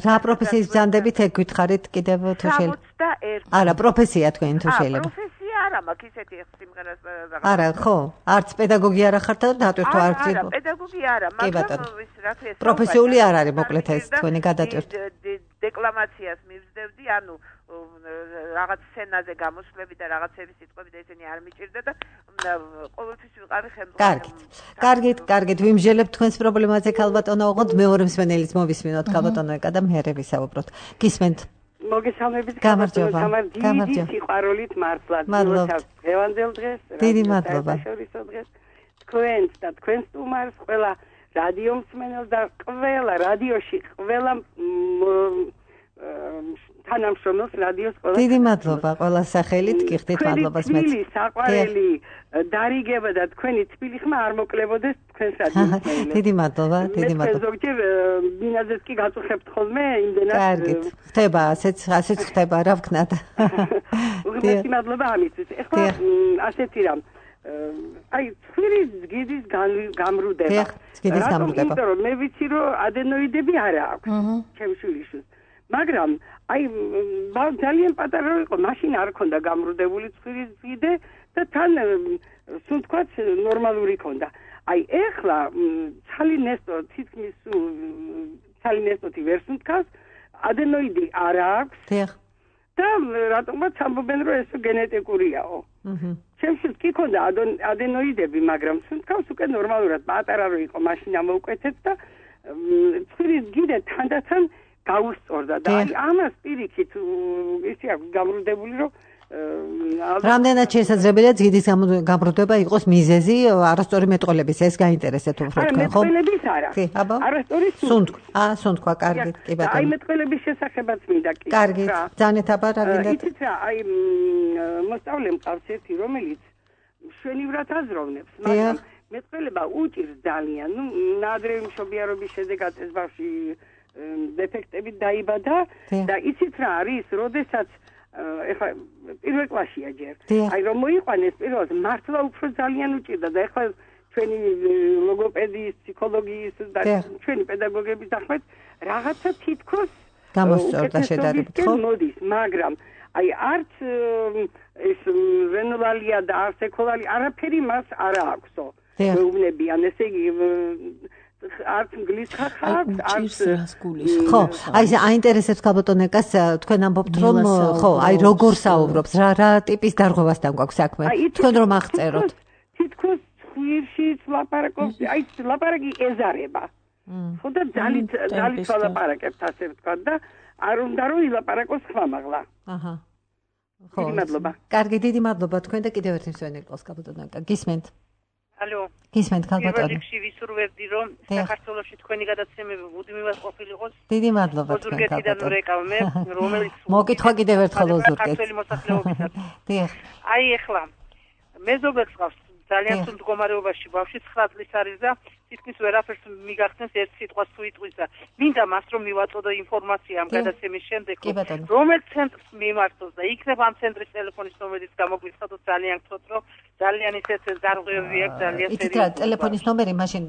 Speaker 2: რა პროფესიის ბრძანდებით ეგ გითხარით კიდევ თუ შეიძლება
Speaker 5: სამოცდაერთი
Speaker 2: არა პროფესია თქვენ თუ შეიძლება
Speaker 5: პროფესია არა მაქვს ისეთი სიმღერას
Speaker 2: არა ხო არც პედაგოგი არ ახართ და დატვირთვა არც
Speaker 5: არა პედაგოგი არა მაგრამ ის რა ქვია
Speaker 2: პროფესიული არ არის მოკლედ ეს თქვენი გადატვირთვა
Speaker 5: დეკლამაციას მივსდევდი ანუ რაღაც სცენაზე გამოსვლები და რაღაცების სიტყვები და ესენი არ მიჭირდა და ყოველთვის ვიყავი ხელმძღვანელი.
Speaker 2: კარგით. კარგით, კარგით, ვიმჟელებთ თქვენს პრობლემაზე ქალბატონო, ოღონდ მეორე მსმენელის მოვისმინოთ ქალბატონო ეკა და მე ვისაუბროთ. გისმენთ.
Speaker 6: მოგესალმებით
Speaker 2: გამარჯობა.
Speaker 6: გამარჯობა. სიყვარულით მართლაც დღევანდელ დღეს,
Speaker 2: დიდი მადლობა.
Speaker 6: თქვენს და თქვენს სტუმარს ყველა რადიო მსმენელს და ყველა რადიოში ყველა თანამშრომლს რადიოს ყველა.
Speaker 2: დიდი მადლობა ყველა სახელით, გიხდით მადლობას მეც.
Speaker 6: თბილი საყვარელი დარიგება და თქვენი თბილი ხმა არ მოკლებოდეს თქვენს რადიოს.
Speaker 2: დიდი მადლობა, დიდი მადლობა.
Speaker 6: მე ზოგჯერ მინაზეც კი გაწუხებთ ხოლმე იმდენად.
Speaker 2: კარგით. ხდება, ასეც ასეც ხდება, რა ვქნათ.
Speaker 6: უღმესი მადლობა ამისთვის. ეხლა ასეთი რამ აი ცხვირის გიდის გამრუდება.
Speaker 2: გიდის გამრუდება.
Speaker 6: იმიტომ რომ მე ვიცი რომ ადენოიდები არ აქვს ჩემს შვილიშვილს. მაგრამ აი ძალიან პატარა იყო, მაშინ არ ქონდა გამრუდებული ცხვირის გიდე და თან სუნთქვაც ნორმალური ქონდა. აი ეხლა ცალი ნესტო თითქმის ცალი ნესტოთი ვერ სუნთქავს, ადენოიდი არ აქვს.
Speaker 2: დიახ.
Speaker 6: და რატომაც ამბობენ რომ ეს გენეტიკურიაო. აჰა. ჩემშიც კი ქონდა ადენოიდები, მაგრამ სუნთქავს უკვე ნორმალურად, პატარა რო იყო, მაშინ ამოვკვეთეთ და ცხვირის გიდე თანდათან გაუსწორდა და აი ამას პირიქით ისე აქვს გამრუდებული რომ
Speaker 2: რამდენად შესაძლებელია გიდის გამრუდება იყოს მიზეზი არასწორი მეტყოლების ეს გაინტერესეთ უფრო თქვენ ხო?
Speaker 6: მეტყოლების არა. არასწორი
Speaker 2: სუნთქვა. აა სუნთქვა, კარგით, კი ბატონო.
Speaker 6: აი მეტყოლების შესახებაც მინდა კი.
Speaker 2: კარგით, ძანეთ აბა რა გინდათ?
Speaker 6: იცით რა, აი მოსწავლე მყავს ერთი რომელიც შვენივრად აზროვნებს, მაგრამ მეტყოლება უჭირს ძალიან. ნუ ნადრევი მშობიარობის შედეგად ეს ბავშვი დეფექტები დაიბადა და იცით რა არის, როდესაც ეხლა პირველ კლასშია ჯერ. აი რომ მოიყვანეს პირველად მართლა უფრო ძალიან უჭირდა და ეხლა ჩვენი ლოგოპედიის, ფსიქოლოგიის და ჩვენი პედაგოგების ახმეთ რაღაცა თითქოს
Speaker 2: გამოსწორდა შედარებით, ხო?
Speaker 6: მოდის, მაგრამ აი არც ეს ვენოლალია და არც ეკოლალი არაფერი მას არ აქვსო. მეუბნებიან, ესე იგი არც ინგლისს ხახავს, არც
Speaker 2: ხო, აი ეს აინტერესებს ქალბატონეკას თქვენ ამბობთ რომ ხო, აი როგორ საუბრობს, რა რა ტიპის დარღვევასთან გვაქვს საქმე. თქვენ რომ აღწეროთ.
Speaker 6: თითქოს ხვირშიც ლაპარაკობს, აი ლაპარაკი ეზარება. ხო და ძალით ძალით ლაპარაკებს ასე ვთქვა და არ უნდა რომ ილაპარაკოს ხმამაღლა.
Speaker 2: აჰა.
Speaker 6: ხო. დიდი მადლობა.
Speaker 2: კარგი, დიდი მადლობა თქვენ და კიდევ ერთი მსვენელი ყავს ქალბატონეკა. გისმენთ?
Speaker 7: ალო.
Speaker 2: გისმენთ ქალბატონი.
Speaker 7: პირველში ვისურვებდი რომ საქართველოში თქვენი გადაცემები მუდმივად ყოფილიყოს.
Speaker 2: დიდი მადლობა თქვენ ქალბატონი.
Speaker 7: ოზურგეთიდან ვერეკავ მე, რომელიც
Speaker 2: მოკითხვა კიდევ ერთხელ ოზურგეთს.
Speaker 7: ქართველი მოსახლეობისას.
Speaker 2: დიახ.
Speaker 7: აი ეხლა მეზობელს ყავს ძალიან სულ მდგომარეობაში ბავშვი ცხრა წლის არის და თითქმის ვერაფერს მიგახსენს ერთ სიტყვას თუ იტყვის და მინდა მას რომ მივაწოდო ინფორმაცია ამ გადაცემის შემდეგ რომელ ცენტრს მიმართოს და იქნება ამ ცენტრის ტელეფონის ნომერიც გამოგვიცხადოთ ძალიან გთხოვთ რომ ძალიან ისეთ დარღვევები აქვს ძალიან
Speaker 2: სერიოზული ითქვა ტელეფონის ნომერი მაშინ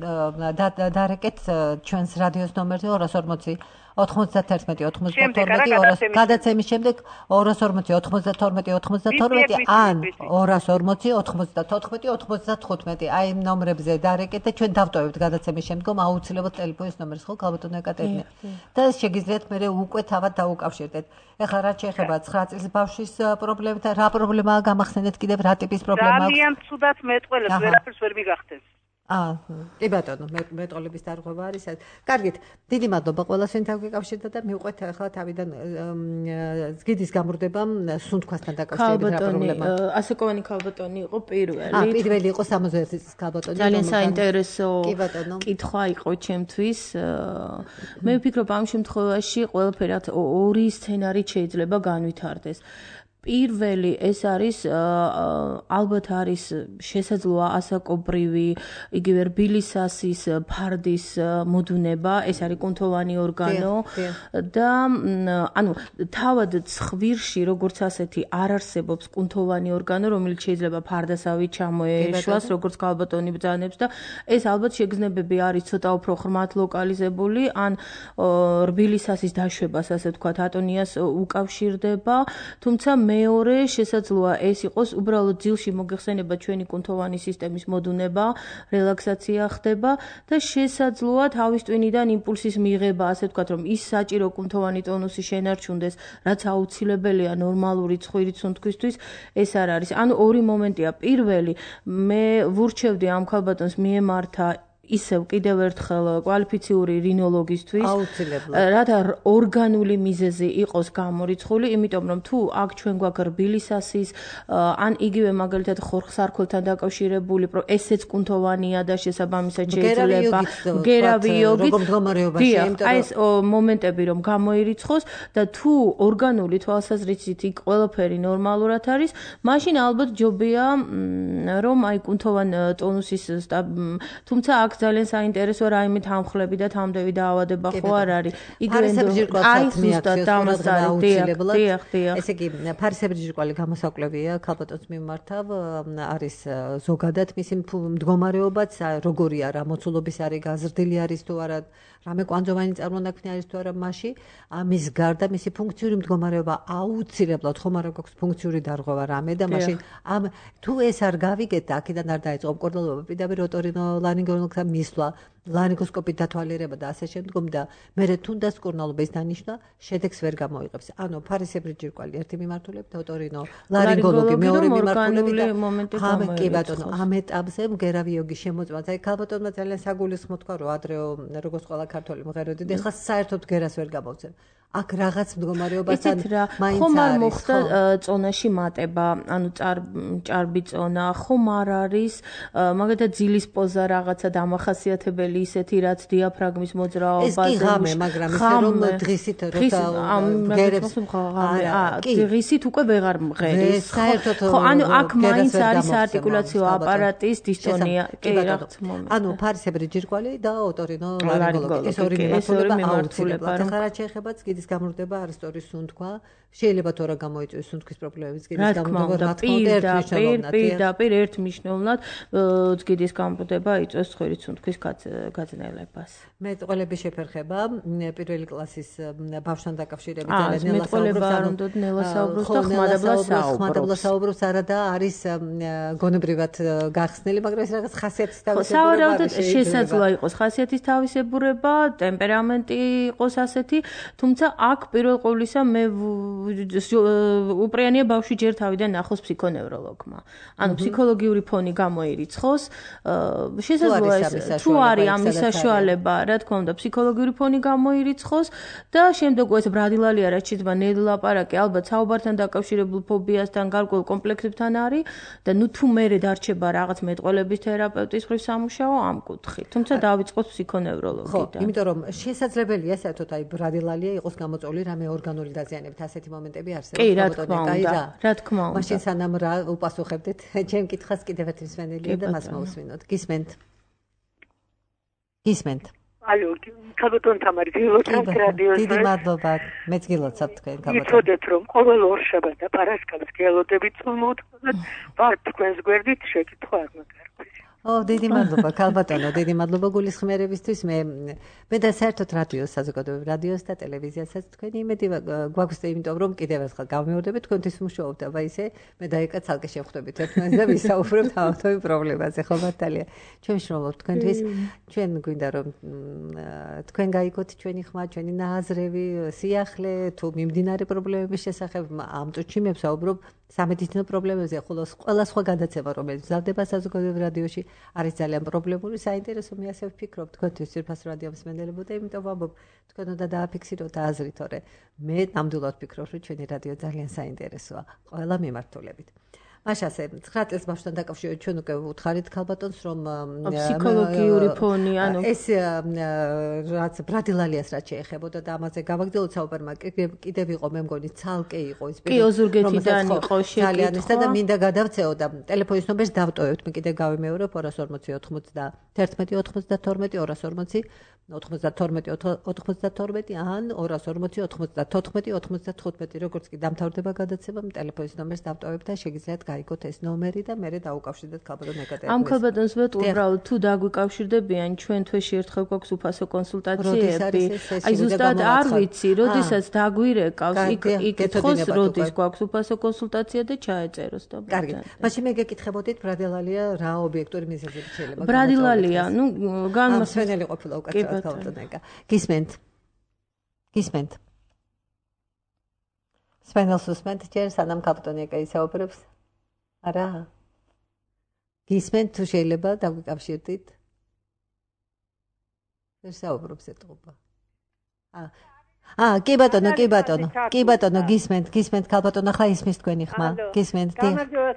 Speaker 2: დარეკეთ ჩვენს რადიოს ნომერზე ორას ორმოცი ოთხმოცდათერთმეტი ოთხმოცდათორმეტი გადაცემის შემდეგ ორას ორმოცი ოთხმოცდათორმეტი ოთხმოცდათორმეტი ან ორას ორმოცი ოთხმოცდათოთხმეტი ოთხმოცდათხუთმეტი აი იმ ნომრებზე დარეკეთ და ჩვენ დავტოვებთ გადაცემის შემდგომ აუცილებლად ტელეფონის ნომერს ხო ქალბატონო ეკატერინე და შეგიძლიათ მე უკვე თავად დაუკავშირდეთ ეხლა რა შეეხება ცხრა წლის ბავშვის პრობლემით რა პრობლემაა გამახსენეთ კიდევ რა ტიპის პრობლემა აქვს
Speaker 7: ძალიან ცუდად მეტყველებს ვერაფერს ვერ მიგახსენს
Speaker 2: აა, კი ბატონო, მეტყოლების დარღვევა არის. კარგით, დიდი მადლობა ყველას, ვინ დავგეკავშირდა და მივყვეთ ახლა თავიდან ზგიდის გამრდება სუნთქვასთან დაკავშირებით რა პრობლემაა.
Speaker 3: ასაკოვანი ქალბატონი იყო პირველი.
Speaker 2: აა, პირველი იყო სამოცდაერთი წლის ქალბატონი.
Speaker 3: ძალიან საინტერესო კითხვა იყო ჩემთვის. მე ვფიქრობ ამ შემთხვევაში ყველაფერი ორი სცენარით შეიძლება განვითარდეს. პირველი ეს არის ალბათ არის შესაძლოა ასაკობრივი იგივე რბილისასის ფარდის მოდუნება ეს არის კუნთოვანი ორგანო და ანუ თავად ცხვირში როგორც ასეთი არ არსებობს კუნთოვანი ორგანო რომელიც შეიძლება ფარდასავით ჩამოეშვას როგორც ქალბატონი ბრძანებს და ეს ალბათ შეგრძნებები არის ცოტა უფრო ხმათ ლოკალიზებული ან რბილისასის დაშვებას ასე ვთქვათ ატონიას უკავშირდება თუმცა მეორე შესაძლოა ეს იყოს უბრალოდ ძილში მოგეხსენება ჩვენი კუნთოვანი სისტემის მოდუნება, რელაქსაცია ხდება და შესაძლოა თავის ტვინიდან იმპულსის მიღება, ასე ვთქვათ, რომ ის საჭირო კუნთოვანი ტონუსი შენარჩუნდეს, რაც აუცილებელია ნორმალური ცხვირის სუნთქვისთვის, ეს არ არის. ანუ ორი მომენტია. პირველი, მე ვურჩევდი ამ ქალბატონს მიემართა ისევ კიდევ ერთხელ კვალიფიციური რინოლოგისთვის რათა ორგანული მიზეზი იყოს გამორიცხული, იმიტომ რომ თუ აქ ჩვენ გვაქვს რბილისასის ან იგივე მაგალითად ხორხსარქოლთან დაკავშირებული ესეც კუნთოვანია და შესაბამისად შეიძლება მგერავი იოგით აი ეს მომენტები რომ გამოირიცხოს და თუ ორგანული თვალსაზრისით იქ ყველაფერი ნორმალურად არის, მაშინ ალბათ ჯობია რომ აი კუნთოვან ტონუსის თუმცა აქ ძალიან საინტერესო რაიმე თანხლები და თამდევი დაავადება ხო არ არის.
Speaker 2: იგივე აი ზუსტად დამასწარი დიახ, დიახ. ესე იგი, ფარისებრი ჯირკვალი გამოსაკვლევია ქალბატონს მიმართავ, არის ზოგადად მისი მდგომარეობაც, როგორია რა მოცულობის არის, გაზრდილი არის თუ არა, რამე კვანძოვანი წარმონაქმნი არის თუ არა მასში, ამის გარდა მისი ფუნქციური მდგომარეობა აუცილებლად ხომ არ გვაქვს ფუნქციური დარღვევა რამე და მაშინ ამ თუ ეს არ გავიგეთ და აქედან არ დაიწყო მკურნალობა, პირდაპირ ოტორინოლარინგოლოგთან მისვლა, ლარინგოსკოპით დათვალიერება და ასე შემდგომ და მერე თუნდაც მკურნალობა ის დანიშნა, შედეგს ვერ გამოიღებს. ანუ ფარისებრი ჯირკვალი ერთი მიმართულებით, ოტორინო ლარინგოლოგი მეორე მიმართულებით და ხამე კი ბატონო, ამ ეტაპზე მგერავი იოგის შემოწმած. აი ქალბატონმა ძალიან საგულისხმო თქვა, რომ ადრეო როგორც ყველა ქართველი მღეროდი და ეხლა საერთოდ გერას ვერ გამოვცემ. აქ რაღაც მდგომარეობასთან მაინც
Speaker 3: ხომ არ მოხდა წონაში მატება, ანუ ჭარბი წონა, ხომ არ არის მაგალითად ძილის პოზა რაღაცა დამახასიათებელი ისეთი რაც დიაფრაგმის მოძრაობაზე.
Speaker 2: ეს კი ღამე, მაგრამ ისე რომ დღისით როცა მღერებს
Speaker 3: კი დღისით უკვე ვეღარ მღერის. საერთოდ ხო, ანუ აქ მაინც არის საარტიკულაციო აპარატის დისტონია. კი რაღაც მომენტი.
Speaker 2: ანუ ფარისებრი ჯირკვალი და ოტორინო ლარინგოლოგი. ეს ორი მიმართულება აუცილებლად. ახლა რა შეეხება ზგიდის გამრდება არასტორის სუნთქვა, შეიძლება თორე გამოიწვიოს სუნთქვის პრობლემების გიდის გამბუდება, რა თქმა უნდა,
Speaker 3: პირდაპირ ერთ მნიშვნელოვნად გიდის გამბუდება იწვევს ცხვირის სუნთქვის გაძნელებას.
Speaker 2: მეტყველების შეფერხება პირველი კლასის ბავშვთან დაკავშირებით ძალიან
Speaker 3: ნელა საუბრობს და
Speaker 2: ხმადაბლა საუბრობს არა და არის გონებრივად გახსნილი, მაგრამ ეს რაღაც ხასიათის თავისებურება.
Speaker 3: სავარაუდოდ შესაძლოა იყოს ხასიათის თავისებურება, ტემპერამენტი იყოს ასეთი, თუმცა აქ პირველ ყოვლისა მე უპრიანია ბავშვი ჯერ თავიდან ნახოს ფსიქონევროლოგმა. ანუ ფსიქოლოგიური ფონი გამოირიცხოს, შესაძლოა ეს თუ არის ამის საშუალება, რა თქმა უნდა, ფსიქოლოგიური ფონი გამოირიცხოს და შემდეგ ეს ბრადილალია რაც შეიძლება ნელაპარაკი ალბათ საუბართან დაკავშირებულ ფობიასთან, გარკვეულ კომპლექსებთან არის და ნუ თუ მერე დარჩება რაღაც მეტყველების თერაპევტის მხრივ სამუშაო ამ კუთხით. თუმცა დავიწყოთ ფსიქონევროლოგიდან.
Speaker 2: ხო, იმიტომ რომ შესაძლებელია საერთოდ აი ბრადილალია იყოს გამოწვეული რამე ორგანული დაზიანებით, ასეთი მომენტები არსებობს.
Speaker 3: კი, რა თქმა უნდა, რა თქმა უნდა.
Speaker 2: მაშინ სანამ რა უპასუხებდეთ ჩემ კითხავს კიდევ ერთი მსმენელია და მას მოусვინოთ. გისმენთ? გისმენთ?
Speaker 8: ალო, ქალბატონ თამარი, გილოცავთ რადიოზე.
Speaker 2: დიდი მადლობა. მეც გილოცავთ თქვენ ქალბატონ.
Speaker 8: იცოდეთ რომ ყოველ ორშაბათ და პარასკევს გელოდებით მოუთხოვნათ, ვარ თქვენს გვერდით შეკითხვა არ მაგარკვეს.
Speaker 2: ო, დიდი მადლობა ქალბატონო, დიდი მადლობა გულისხმიერებისთვის. მე მე და საერთოდ რადიოს, საზოგადოებრივ რადიოს და ტელევიზიასაც თქვენი იმედი გვაქვს, იმიტომ რომ კიდევ ერთხელ გავმეორდებით თქვენთვის მუშაობ და ისე მე და ეკა ცალკე შევხვდებით ერთმანეთს და ვისაუბრებთ ამათოვი პრობლემაზე, ხო მართალია. ჩვენ ვშრომობთ თქვენთვის, ჩვენ გვინდა რომ თქვენ გაიგოთ ჩვენი ხმა, ჩვენი ნააზრევი, სიახლე, თუ მიმდინარე პრობლემების შესახებ ამ წუთში მე ვსაუბრობ სამედიცინო პრობლემებზე, ხოლო ყველა სხვა გადაცემა, რომელიც მზადდება საზოგადოებრივ რადიოში, არის ძალიან პრობლემური, საინტერესო მე ასე ვფიქრობ თქვენთვის ძირფას რადიო მსმენელებო და იმიტომ ვამბობ, თქვენ უნდა დააფიქსიროთ და აზრით, თორე მე ნამდვილად ვფიქრობ, რომ ჩვენი რადიო ძალიან საინტერესოა ყველა მიმართულებით. მაშ ასე ცხრა წელს ბავშვთან დაკავშირებით ჩვენ უკვე უთხარით ქალბატონს რომ
Speaker 3: ფსიქოლოგიური ფონი ანუ
Speaker 2: ეს რაც ბრადილალიას რაც შეეხებოდა და ამაზე გავაგრძელოთ საუბარმა კიდევ იყო მე მგონი ცალკე იყო ის
Speaker 3: კი ოზურგეთიდან იყო
Speaker 2: შეკითხვა და მინდა გადავწეო და ტელეფონის ნომერს დავტოვებთ მე კიდევ გავიმეორებ ორას ორმოცი ოთხმოცდაერთმეტი ოთხმოცდათორმეტი ორას ორმოცი ოთხმოცდათორმეტი ოთხმოცდათორმეტი ან ორას ორმოცი ოთხმოცდათოთხმეტი ოთხმოცდათხუთმეტი როგორც კი დამთავრდება გადაცემა ტელეფონის ნომერს დავტოვებთ და შეგიძლიათ გაიგოთ ეს ნომერი და მე დავუკავშირდეთ ქალბატონ ეკატერინეს.
Speaker 3: ამ ქალბატონს ვეტყვი უბრალოდ თუ დაგვიკავშირდებიან ჩვენ თვეში ერთხელ გვაქვს უფასო კონსულტაციები. აი ზუსტად არ ვიცი, როდესაც დაგვირეკავს იქ იკითხოს როდის გვაქვს უფასო კონსულტაცია და ჩაეწეროს და.
Speaker 2: კარგი. მაშინ მე გეკითხებოდით ბრადილალია რა ობიექტური მიზეზებით შეიძლება.
Speaker 3: ბრადილალია, ნუ
Speaker 2: განმასვენელი ყოფილა უკაცრავად ქალბატონ ეკა. გისმენთ? გისმენთ? სპენელს უსმენთ ჯერ სანამ ქალბატონ ეკა ისაუბრებს? არა. გისმენთ თუ შეიძლება დაგვიკავშირდით? ვერ საუბრობს ეთყობა. აა აა კი ბატონო, კი ბატონო. კი ბატონო, გისმენთ, გისმენთ ქალბატონო, ახლა ისმის თქვენი ხმა. გისმენთ.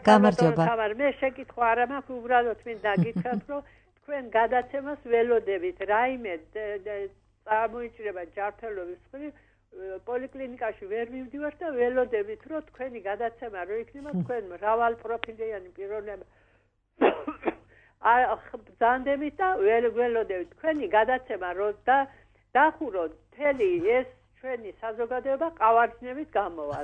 Speaker 8: გამარჯობა. მე შეკითხვა არა მაქვს, უბრალოდ მინდა გითხრათ, რომ თქვენ გადაცემას ველოდებით, რაიმე წარმოიჭრება ჯანმრთელობის მხრივ პოლიკლინიკაში ვერ მივდივართ და ველოდებით, რომ თქვენი გადაცემა რო იქნება, თქვენ მრავალპროფილიანი პიროვნება ბრძანდებით და ველოდებით, თქვენი გადაცემა რო და დახუროთ მთელი ეს ჩვენი საზოგადოება ყავარჯნებით გამოვა.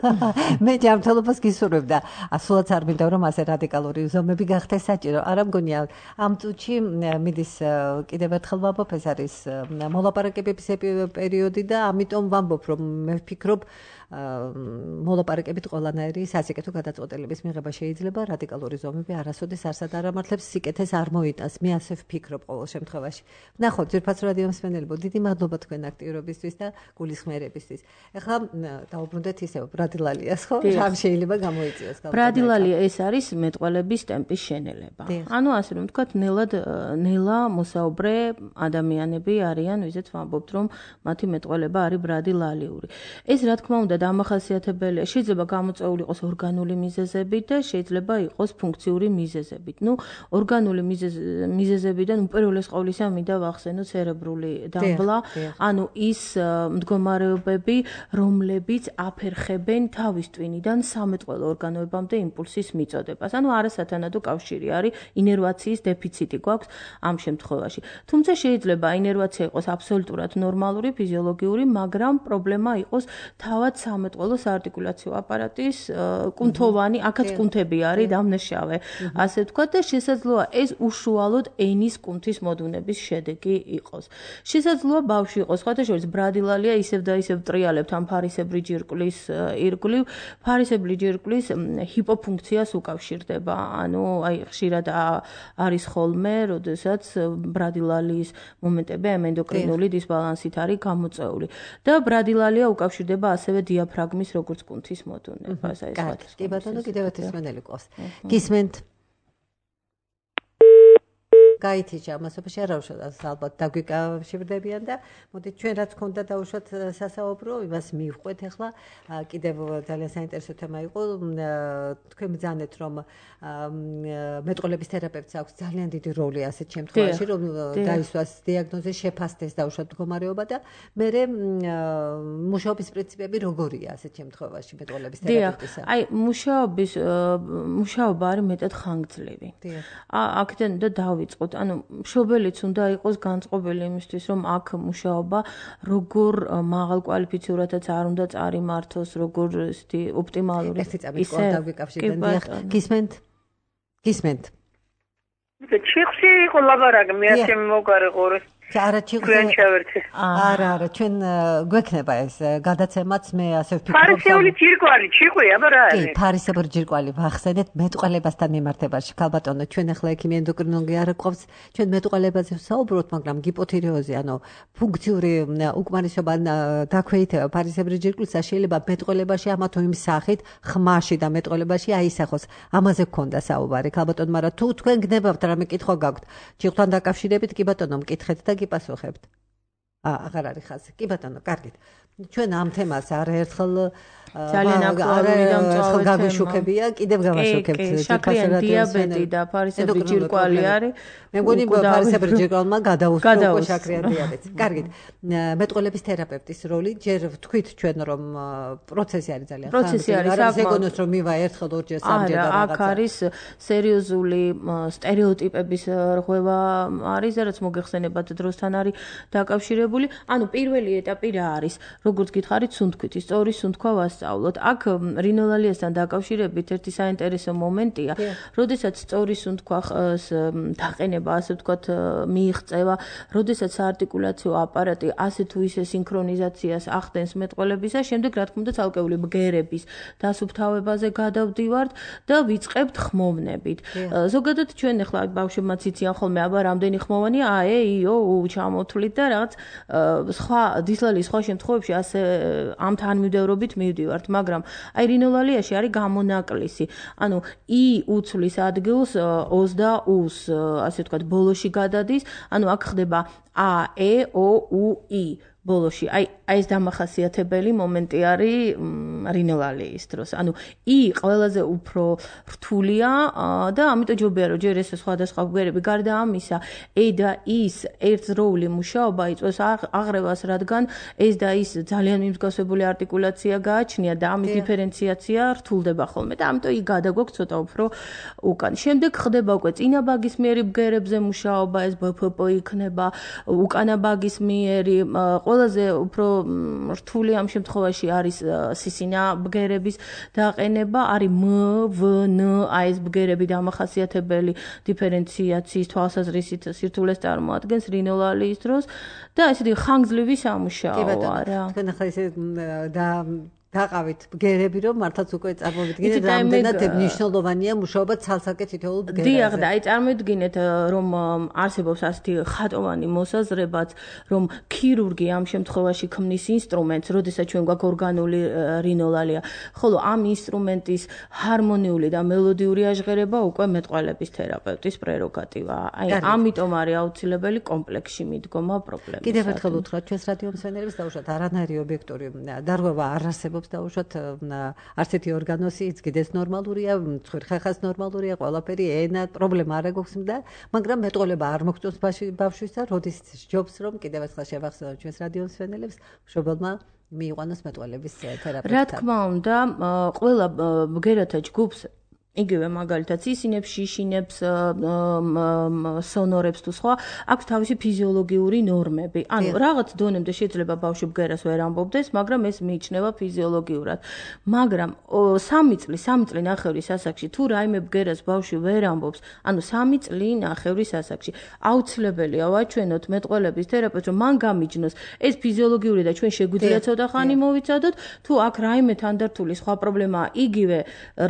Speaker 2: მე ჯანმრთელობას გისურვებ და ასულად არ მინდა რომ ასე რადიკალური ზომები გახდეს საჭირო. არა მგონია ამ წუთში მიდის კიდევ ერთხელ ვამბობ, ეს არის მოლაპარაკებების პერიოდი და ამიტომ ვამბობ, რომ მე ვფიქრობ მოლაპარაკებით ყველანაირი სასიკეთო გადაწყვეტილების მიღება შეიძლება, რადიკალური ზომები არასოდეს არსად არ ამართლებს, სიკეთეს არ მოიტანს. მე ასე ვფიქრობ ყოველ შემთხვევაში. ნახოთ, ძირფას რადიო მსმენელებო, დიდი მადლობა თქვენ აქტიურობისთვის და გულისხმიერებისთვის. ეხლა დავუბრუნდეთ ისევ ბრადილალიას, ხო? რამ შეიძლება გამოიწვიოს?
Speaker 3: ბრადილალია ეს არის მეტყველების ტემპის შენელება. ანუ ასე რომ ვთქვათ, ნელად ნელა მოსაუბრე ადამიანები არიან, ვიზეთ ვამბობთ, რომ მათი მეტყველება არის ბრადილალიური. ეს რა თქმა უნდა დამახასიათებელია, შეიძლება გამოწვეული იყოს ორგანული მიზეზებით და შეიძლება იყოს ფუნქციური მიზეზებით. ნუ ორგანული მიზეზებიდან უპირველეს ყოვლისა მინდა ვახსენო ცერებრული დამბლა, ანუ ის მდგომარეობები, რომლებიც აფერხებენ თავის ტვინიდან სამეტყველო ორგანოებამდე იმპულსის მიწოდებას. ანუ არასათანადო კავშირი არის, ინერვაციის დეფიციტი გვაქვს ამ შემთხვევაში. თუმცა შეიძლება ინერვაცია იყოს აბსოლუტურად ნორმალური, ფიზიოლოგიური, მაგრამ პრობლემა იყოს თავად სამეტყველო საარტიკულაციო აპარატის კუნთოვანი, აქაც კუნთები არის დამნაშავე, ასე ვთქვათ და შესაძლოა ეს უშუალოდ ენის კუნთის მოდუნების შედეგი იყოს. შესაძლოა ბავშვი იყოს, სხვათა შორის ბრადილალია ისევ და ისევ ტრიალებთ ამ ფარისებრი ჯირკვლის ირგვლივ, ფარისებრი ჯირკვლის ჰიპოფუნქციას უკავშირდება. ანუ აი ხშირად არის ხოლმე, როდესაც ბრადილალიის მომენტები ამ ენდოკრინული დისბალანსით არის გამოწეული. და ბრადილალია უკავშირდება ასევე დიაფრაგმის როგორც კუნთის მოდუნებას. აი
Speaker 2: ეს კი ბატონო, კიდევ ერთი სმენელი ყავს. გისმენთ? გაითიჭა ამასობაში არავშადაც ალბათ დაგვიკავშირდებიან და მოდით ჩვენ რაც ქონდა დაუშვათ სასაუბრო იმას მივყვეთ ახლა კიდევ ძალიან საინტერესო თემა იყო თქვენ ბრძანეთ რომ მეტყველების თერაპევტს აქვს ძალიან დიდი როლი ასეთ შემთხვევაში რომ დაისვას დიაგნოზი შეფასდეს დაუშვათ მდგომარეობა და მერე მუშაობის პრინციპები როგორია ასეთ შემთხვევაში მეტყველების თერაპევტისა
Speaker 3: აი მუშაობის მუშაობა არის მეტად ხანგრძლივი აქედან და დავიწყოთ ანუ მშობელიც უნდა იყოს განწყობილი იმისთვის რომ აქ მუშაობა როგორ მაღალ კვალიფიციურადაც არ უნდა წარიმართოს როგორ ისეთი ოპტიმალური
Speaker 2: ერთი წამით დავიკავშირდეთ დიახ გისმენთ გისმენთ
Speaker 7: ჩიხში იყო ლაბარაკი მე ასე მოგარეყორე
Speaker 2: არა ჩიხში არა არა ჩვენ გვექნება ეს გადაცემაც მე ასე ვფიქრობ
Speaker 7: ფარისეული ჯირკვალი ჩიყვი აბა რა არის
Speaker 2: კი ფარისებრი ჯირკვალი ვახსენეთ მეტყველებასთან მიმართებაში ქალბატონო ჩვენ ახლა ექიმი ენდოკრინოლოგი არ გვყავს ჩვენ მეტყველებაზე ვსაუბრობთ მაგრამ გიპოთირეოზი ანუ ფუნქციური უკმარისობა დაქვეითება ფარისებრი ჯირკვლისა შეიძლება მეტყველებაში ამა თუ იმ სახით ხმაში და მეტყველებაში აისახოს ამაზე გქონდა საუბარი ქალბატონო მაგრამ თუ თქვენ გნებავთ რამე კითხვა გაქვთ ჯირკვლთან დაკავშირებით კი ბატონო მკითხეთ და გიპასუხებთ. აა აღარ არის ხაზი. კი ბატონო, კარგით. ჩვენ ამ თემას არაერთხელ
Speaker 3: ძალიან აქტუალური და მწვავე
Speaker 2: გაგვიშუქებია, კიდევ გავაშუქებთ.
Speaker 3: შაქრიანი დიაბეტი და ფარისებრი ჯირკვალი არის.
Speaker 2: მე მგონი ფარისებრი ჯირკვალმა გადაუსწრო შაქრიანი დიაბეტს. კარგით. მეტყველების თერაპევტის როლი ჯერ ვთქვით ჩვენ რომ პროცესი არის ძალიან ხანგრძლივი.
Speaker 3: პროცესი არის
Speaker 2: საკმაოდ რომ მივა ერთხელ ორჯერ სამჯერ და რაღაცა.
Speaker 3: აქ არის სერიოზული სტერეოტიპების რღვევა არის, რაც მოგეხსენებათ დროსთან არის დაკავშირებული. ანუ პირველი ეტაპი რა არის? როგორც გითხარით, სუნთქვით, სწორი სუნთქვა ვასწავლოთ. აქ რინოლალიასთან დაკავშირებით ერთი საინტერესო მომენტია, როდესაც სწორი სუნთქვის დაყენება, ასე ვთქვათ, მიიღწევა, როდესაც საარტიკულაციო აპარატი ასე თუ ისე სინქრონიზაციას ახდენს მეტყველებისა, შემდეგ რა თქმა უნდა ცალკეული ბგერების დასუფთავებაზე გადავდივართ და ვიწყებთ ხმოვნებით. ზოგადად ჩვენ ახლა ბავშვებმაც იციან ხოლმე, აბა რამდენი ხმოვანია, აე, იო, ჩამოთვლით და რაღაც სხვა დისლალის სხვა შემთხვევებში ასე ამ თანმიმდევრობით მივდივართ, მაგრამ აი რინოლალიაში არის გამონაკლისი. ანუ i უცვლის ადგილს os და us, ასე ვთქვათ, ბოლოში გადადის, ანუ აქ ხდება a, e, o, u, i ბოლოში. აი აი ეს დამახასიათებელი მომენტი არის რინოლალიის დროს. ანუ i ყველაზე უფრო რთულია და ამიტომ ჯობია რომ ჯერ ეს სხვადასხვა ბგერები გარდა ამისა e და is ერთდროული მუშაობა იწვევს აღრევას, რადგან ეს და is ძალიან მიმსგავსებული არტიკულაცია გააჩნია და ამის დიფერენციაცია რთულდება ხოლმე და ამიტომ i გადაგვაქვს ცოტა უფრო უკან. შემდეგ ხდება უკვე წინა ბაგის მიერი ბგერებზე მუშაობა, ეს b p p იქნება, უკანა ბაგის მიერი ყველაზე უფრო რთული ამ შემთხვევაში არის სისინა ბგერების დაყენება, არის m, v, n, აი ეს ბგერები დამახასიათებელი დიფერენციაციის თვალსაზრისით სირთულეს წარმოადგენს რინოლალიის დროს და ესეთი ხანგრძლივი სამუშაოა რა.
Speaker 2: თქვენ ახლა ესე და დაყავით ბგერები რომ მართლაც უკვე წარმოვიდგინეთ რამდენად მნიშვნელოვანია მუშაობა ცალსაკე თითოეულ ბგერაზე.
Speaker 3: დიახ და აი წარმოვიდგინეთ რომ არსებობს ასეთი ხატოვანი მოსაზრებაც რომ ქირურგი ამ შემთხვევაში ქმნის ინსტრუმენტს, როდესაც ჩვენ გვაქვს ორგანული რინოლალია, ხოლო ამ ინსტრუმენტის ჰარმონიული და მელოდიური აჟღერება უკვე მეტყველების თერაპევტის პრეროგატივაა. აი ამიტომ არის აუცილებელი კომპლექსში მიდგომა პრობლემის.
Speaker 2: კიდევ ერთხელ უთხრათ ჩვენს რადიო მსმენელებს დაუშვათ არანაირი ობიექტური დარღვევა არ არსებობს დაუშვათ არც ერთი ორგანოსი იცგიდეს ნორმალურია, ხერხას ნორმალურია, ყველაფერი ენა პრობლემა არ აქვს და მაგრამ მეტყველება არ მოგწონს ბავშვის და როდის ჯობს რომ კიდევ ერთხელ შევახსენოთ ჩვენს რადიო მსმენელებს მშობელმა მიიყვანოს მეტყველების თერაპევტად.
Speaker 3: რა თქმა უნდა, ყველა ბგერათა ჯგუფს იგივე მაგალითად ისინებს, შიშინებს, სონორებს თუ სხვა, აქვს თავისი ფიზიოლოგიური ნორმები. ანუ რაღაც დონემდე შეიძლება ბავშვი ბგერას ვერ ამბობდეს, მაგრამ ეს მიიჩნევა ფიზიოლოგიურად. მაგრამ სამი წლი, სამი წლი ნახევრის ასაკში თუ რაიმე ბგერას ბავშვი ვერ ამბობს, ანუ სამი წლი ნახევრის ასაკში, აუცილებელია ვაჩვენოთ მეტყველების თერაპევტს, რომ მან გამიჯნოს ეს ფიზიოლოგიური და ჩვენ შეგვიძლია ცოტა ხანი მოვიცადოთ, თუ აქ რაიმე თანდართული სხვა პრობლემაა, იგივე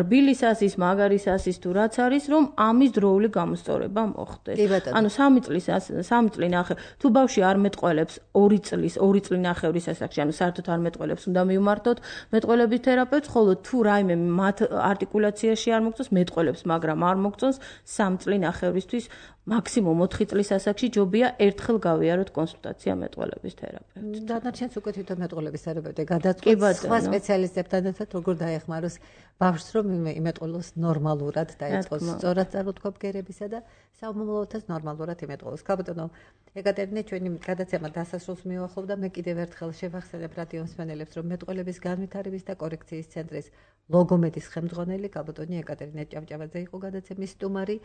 Speaker 3: რბილის ასის მაგარის ასის თუ რაც არის, რომ ამის დროული გამოსწორება მოხდეს. ანუ სამი წლის სამი წლი ნახე, თუ ბავშვი არ მეტყველებს ორი წლის, ორი წლი ნახევრის ასაკში, ანუ საერთოდ არ მეტყველებს, უნდა მივმართოთ მეტყველების თერაპევტს, ხოლო თუ რაიმე მათ არტიკულაციაში არ მოგწონს, მეტყველებს, მაგრამ არ მოგწონს სამი წლი ნახევრისთვის მაქსიმუმ ოთხი წლის ასაკში ჯობია ერთხელ გავიაროთ კონსულტაცია მეტყველების თერაპევტთან.
Speaker 2: დანარჩენს უკვე თვითონ მეტყველების თერაპევტი გადაწყვეტს სხვა სპეციალისტებთან ერთად როგორ დაეხმაროს ბავშვს, რომ იმეტყველოს ნორმალურად დაიწყოს სწორად წარმოთქვა ბგერებისა და სამომავლოდაც ნორმალურად იმეტყველოს. ქაბატონო ეკატერინე, ჩვენი გადაცემა დასასრულს მიუახლოვდა, მე კიდევ ერთხელ შევახსენებ რადიო მსმენელებს, რომ მეტყველების განვითარების და კორექციის ცენტრის ლოგომედის ხელმძღვანელი ქაბატონი ეკატერინე ჭავჭავაძე იყო გადაცემის სტუმარი.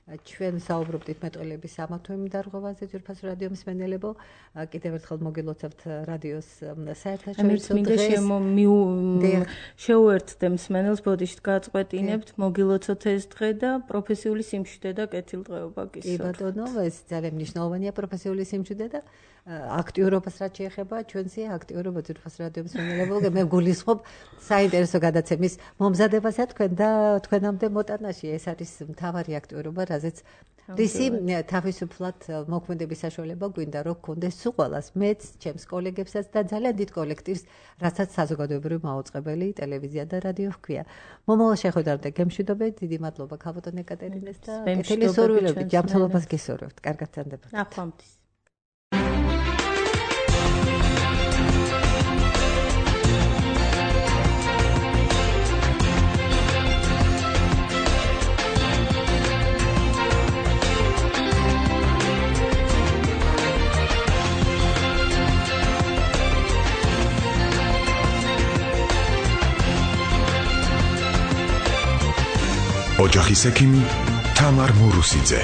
Speaker 2: ჩვენ საუბრობდით მეტყველების სამართლმი დარღვევაზე, ძვირფასო რადიო მსმენელებო, კიდევ ერთხელ მოგილოცავთ რადიოს საერთაშორისო დღეს.
Speaker 3: შეუერთდე მსმენელს, ბოდიშით გაწყვეტინებთ, მოგილოცოთ ეს დღე და პროფესიული სიმშვიდე და კეთილდღეობა გისურვებთ.
Speaker 2: კი ბატონო, ეს ძალიან მნიშვნელოვანია პროფესიული სიმშვიდე და აქტიურობას რაც შეეხება, ჩვენსი აქტიურობა ძვირფასო რადიო მსმენელებო, მე გულისხმობ საინტერესო გადაცემის მომზადებასა თქვენ და თქვენამდე მოტანაში. ეს არის მთავარი აქტიურობა, რაზეც რისი თავისუფლად მოქმედების საშუალება გვინდა რომ გქონდეს სულ მეც, ჩემს კოლეგებსაც და ძალიან დიდ კოლექტივს, რასაც საზოგადოებრივი მაუწყებელი ტელევიზია და რადიო ჰქვია. მომავალ შეხვედრამდე გემშვიდობებით, დიდი მადლობა ქაბატონ ეკატერინეს და კეთილი სურვილებით, ჯანმრთელობას გისურვებთ. კარგად წანდებოდეთ.
Speaker 3: ახლამდის.
Speaker 1: ოჯახის ექიმი თამარ მურუსიძე.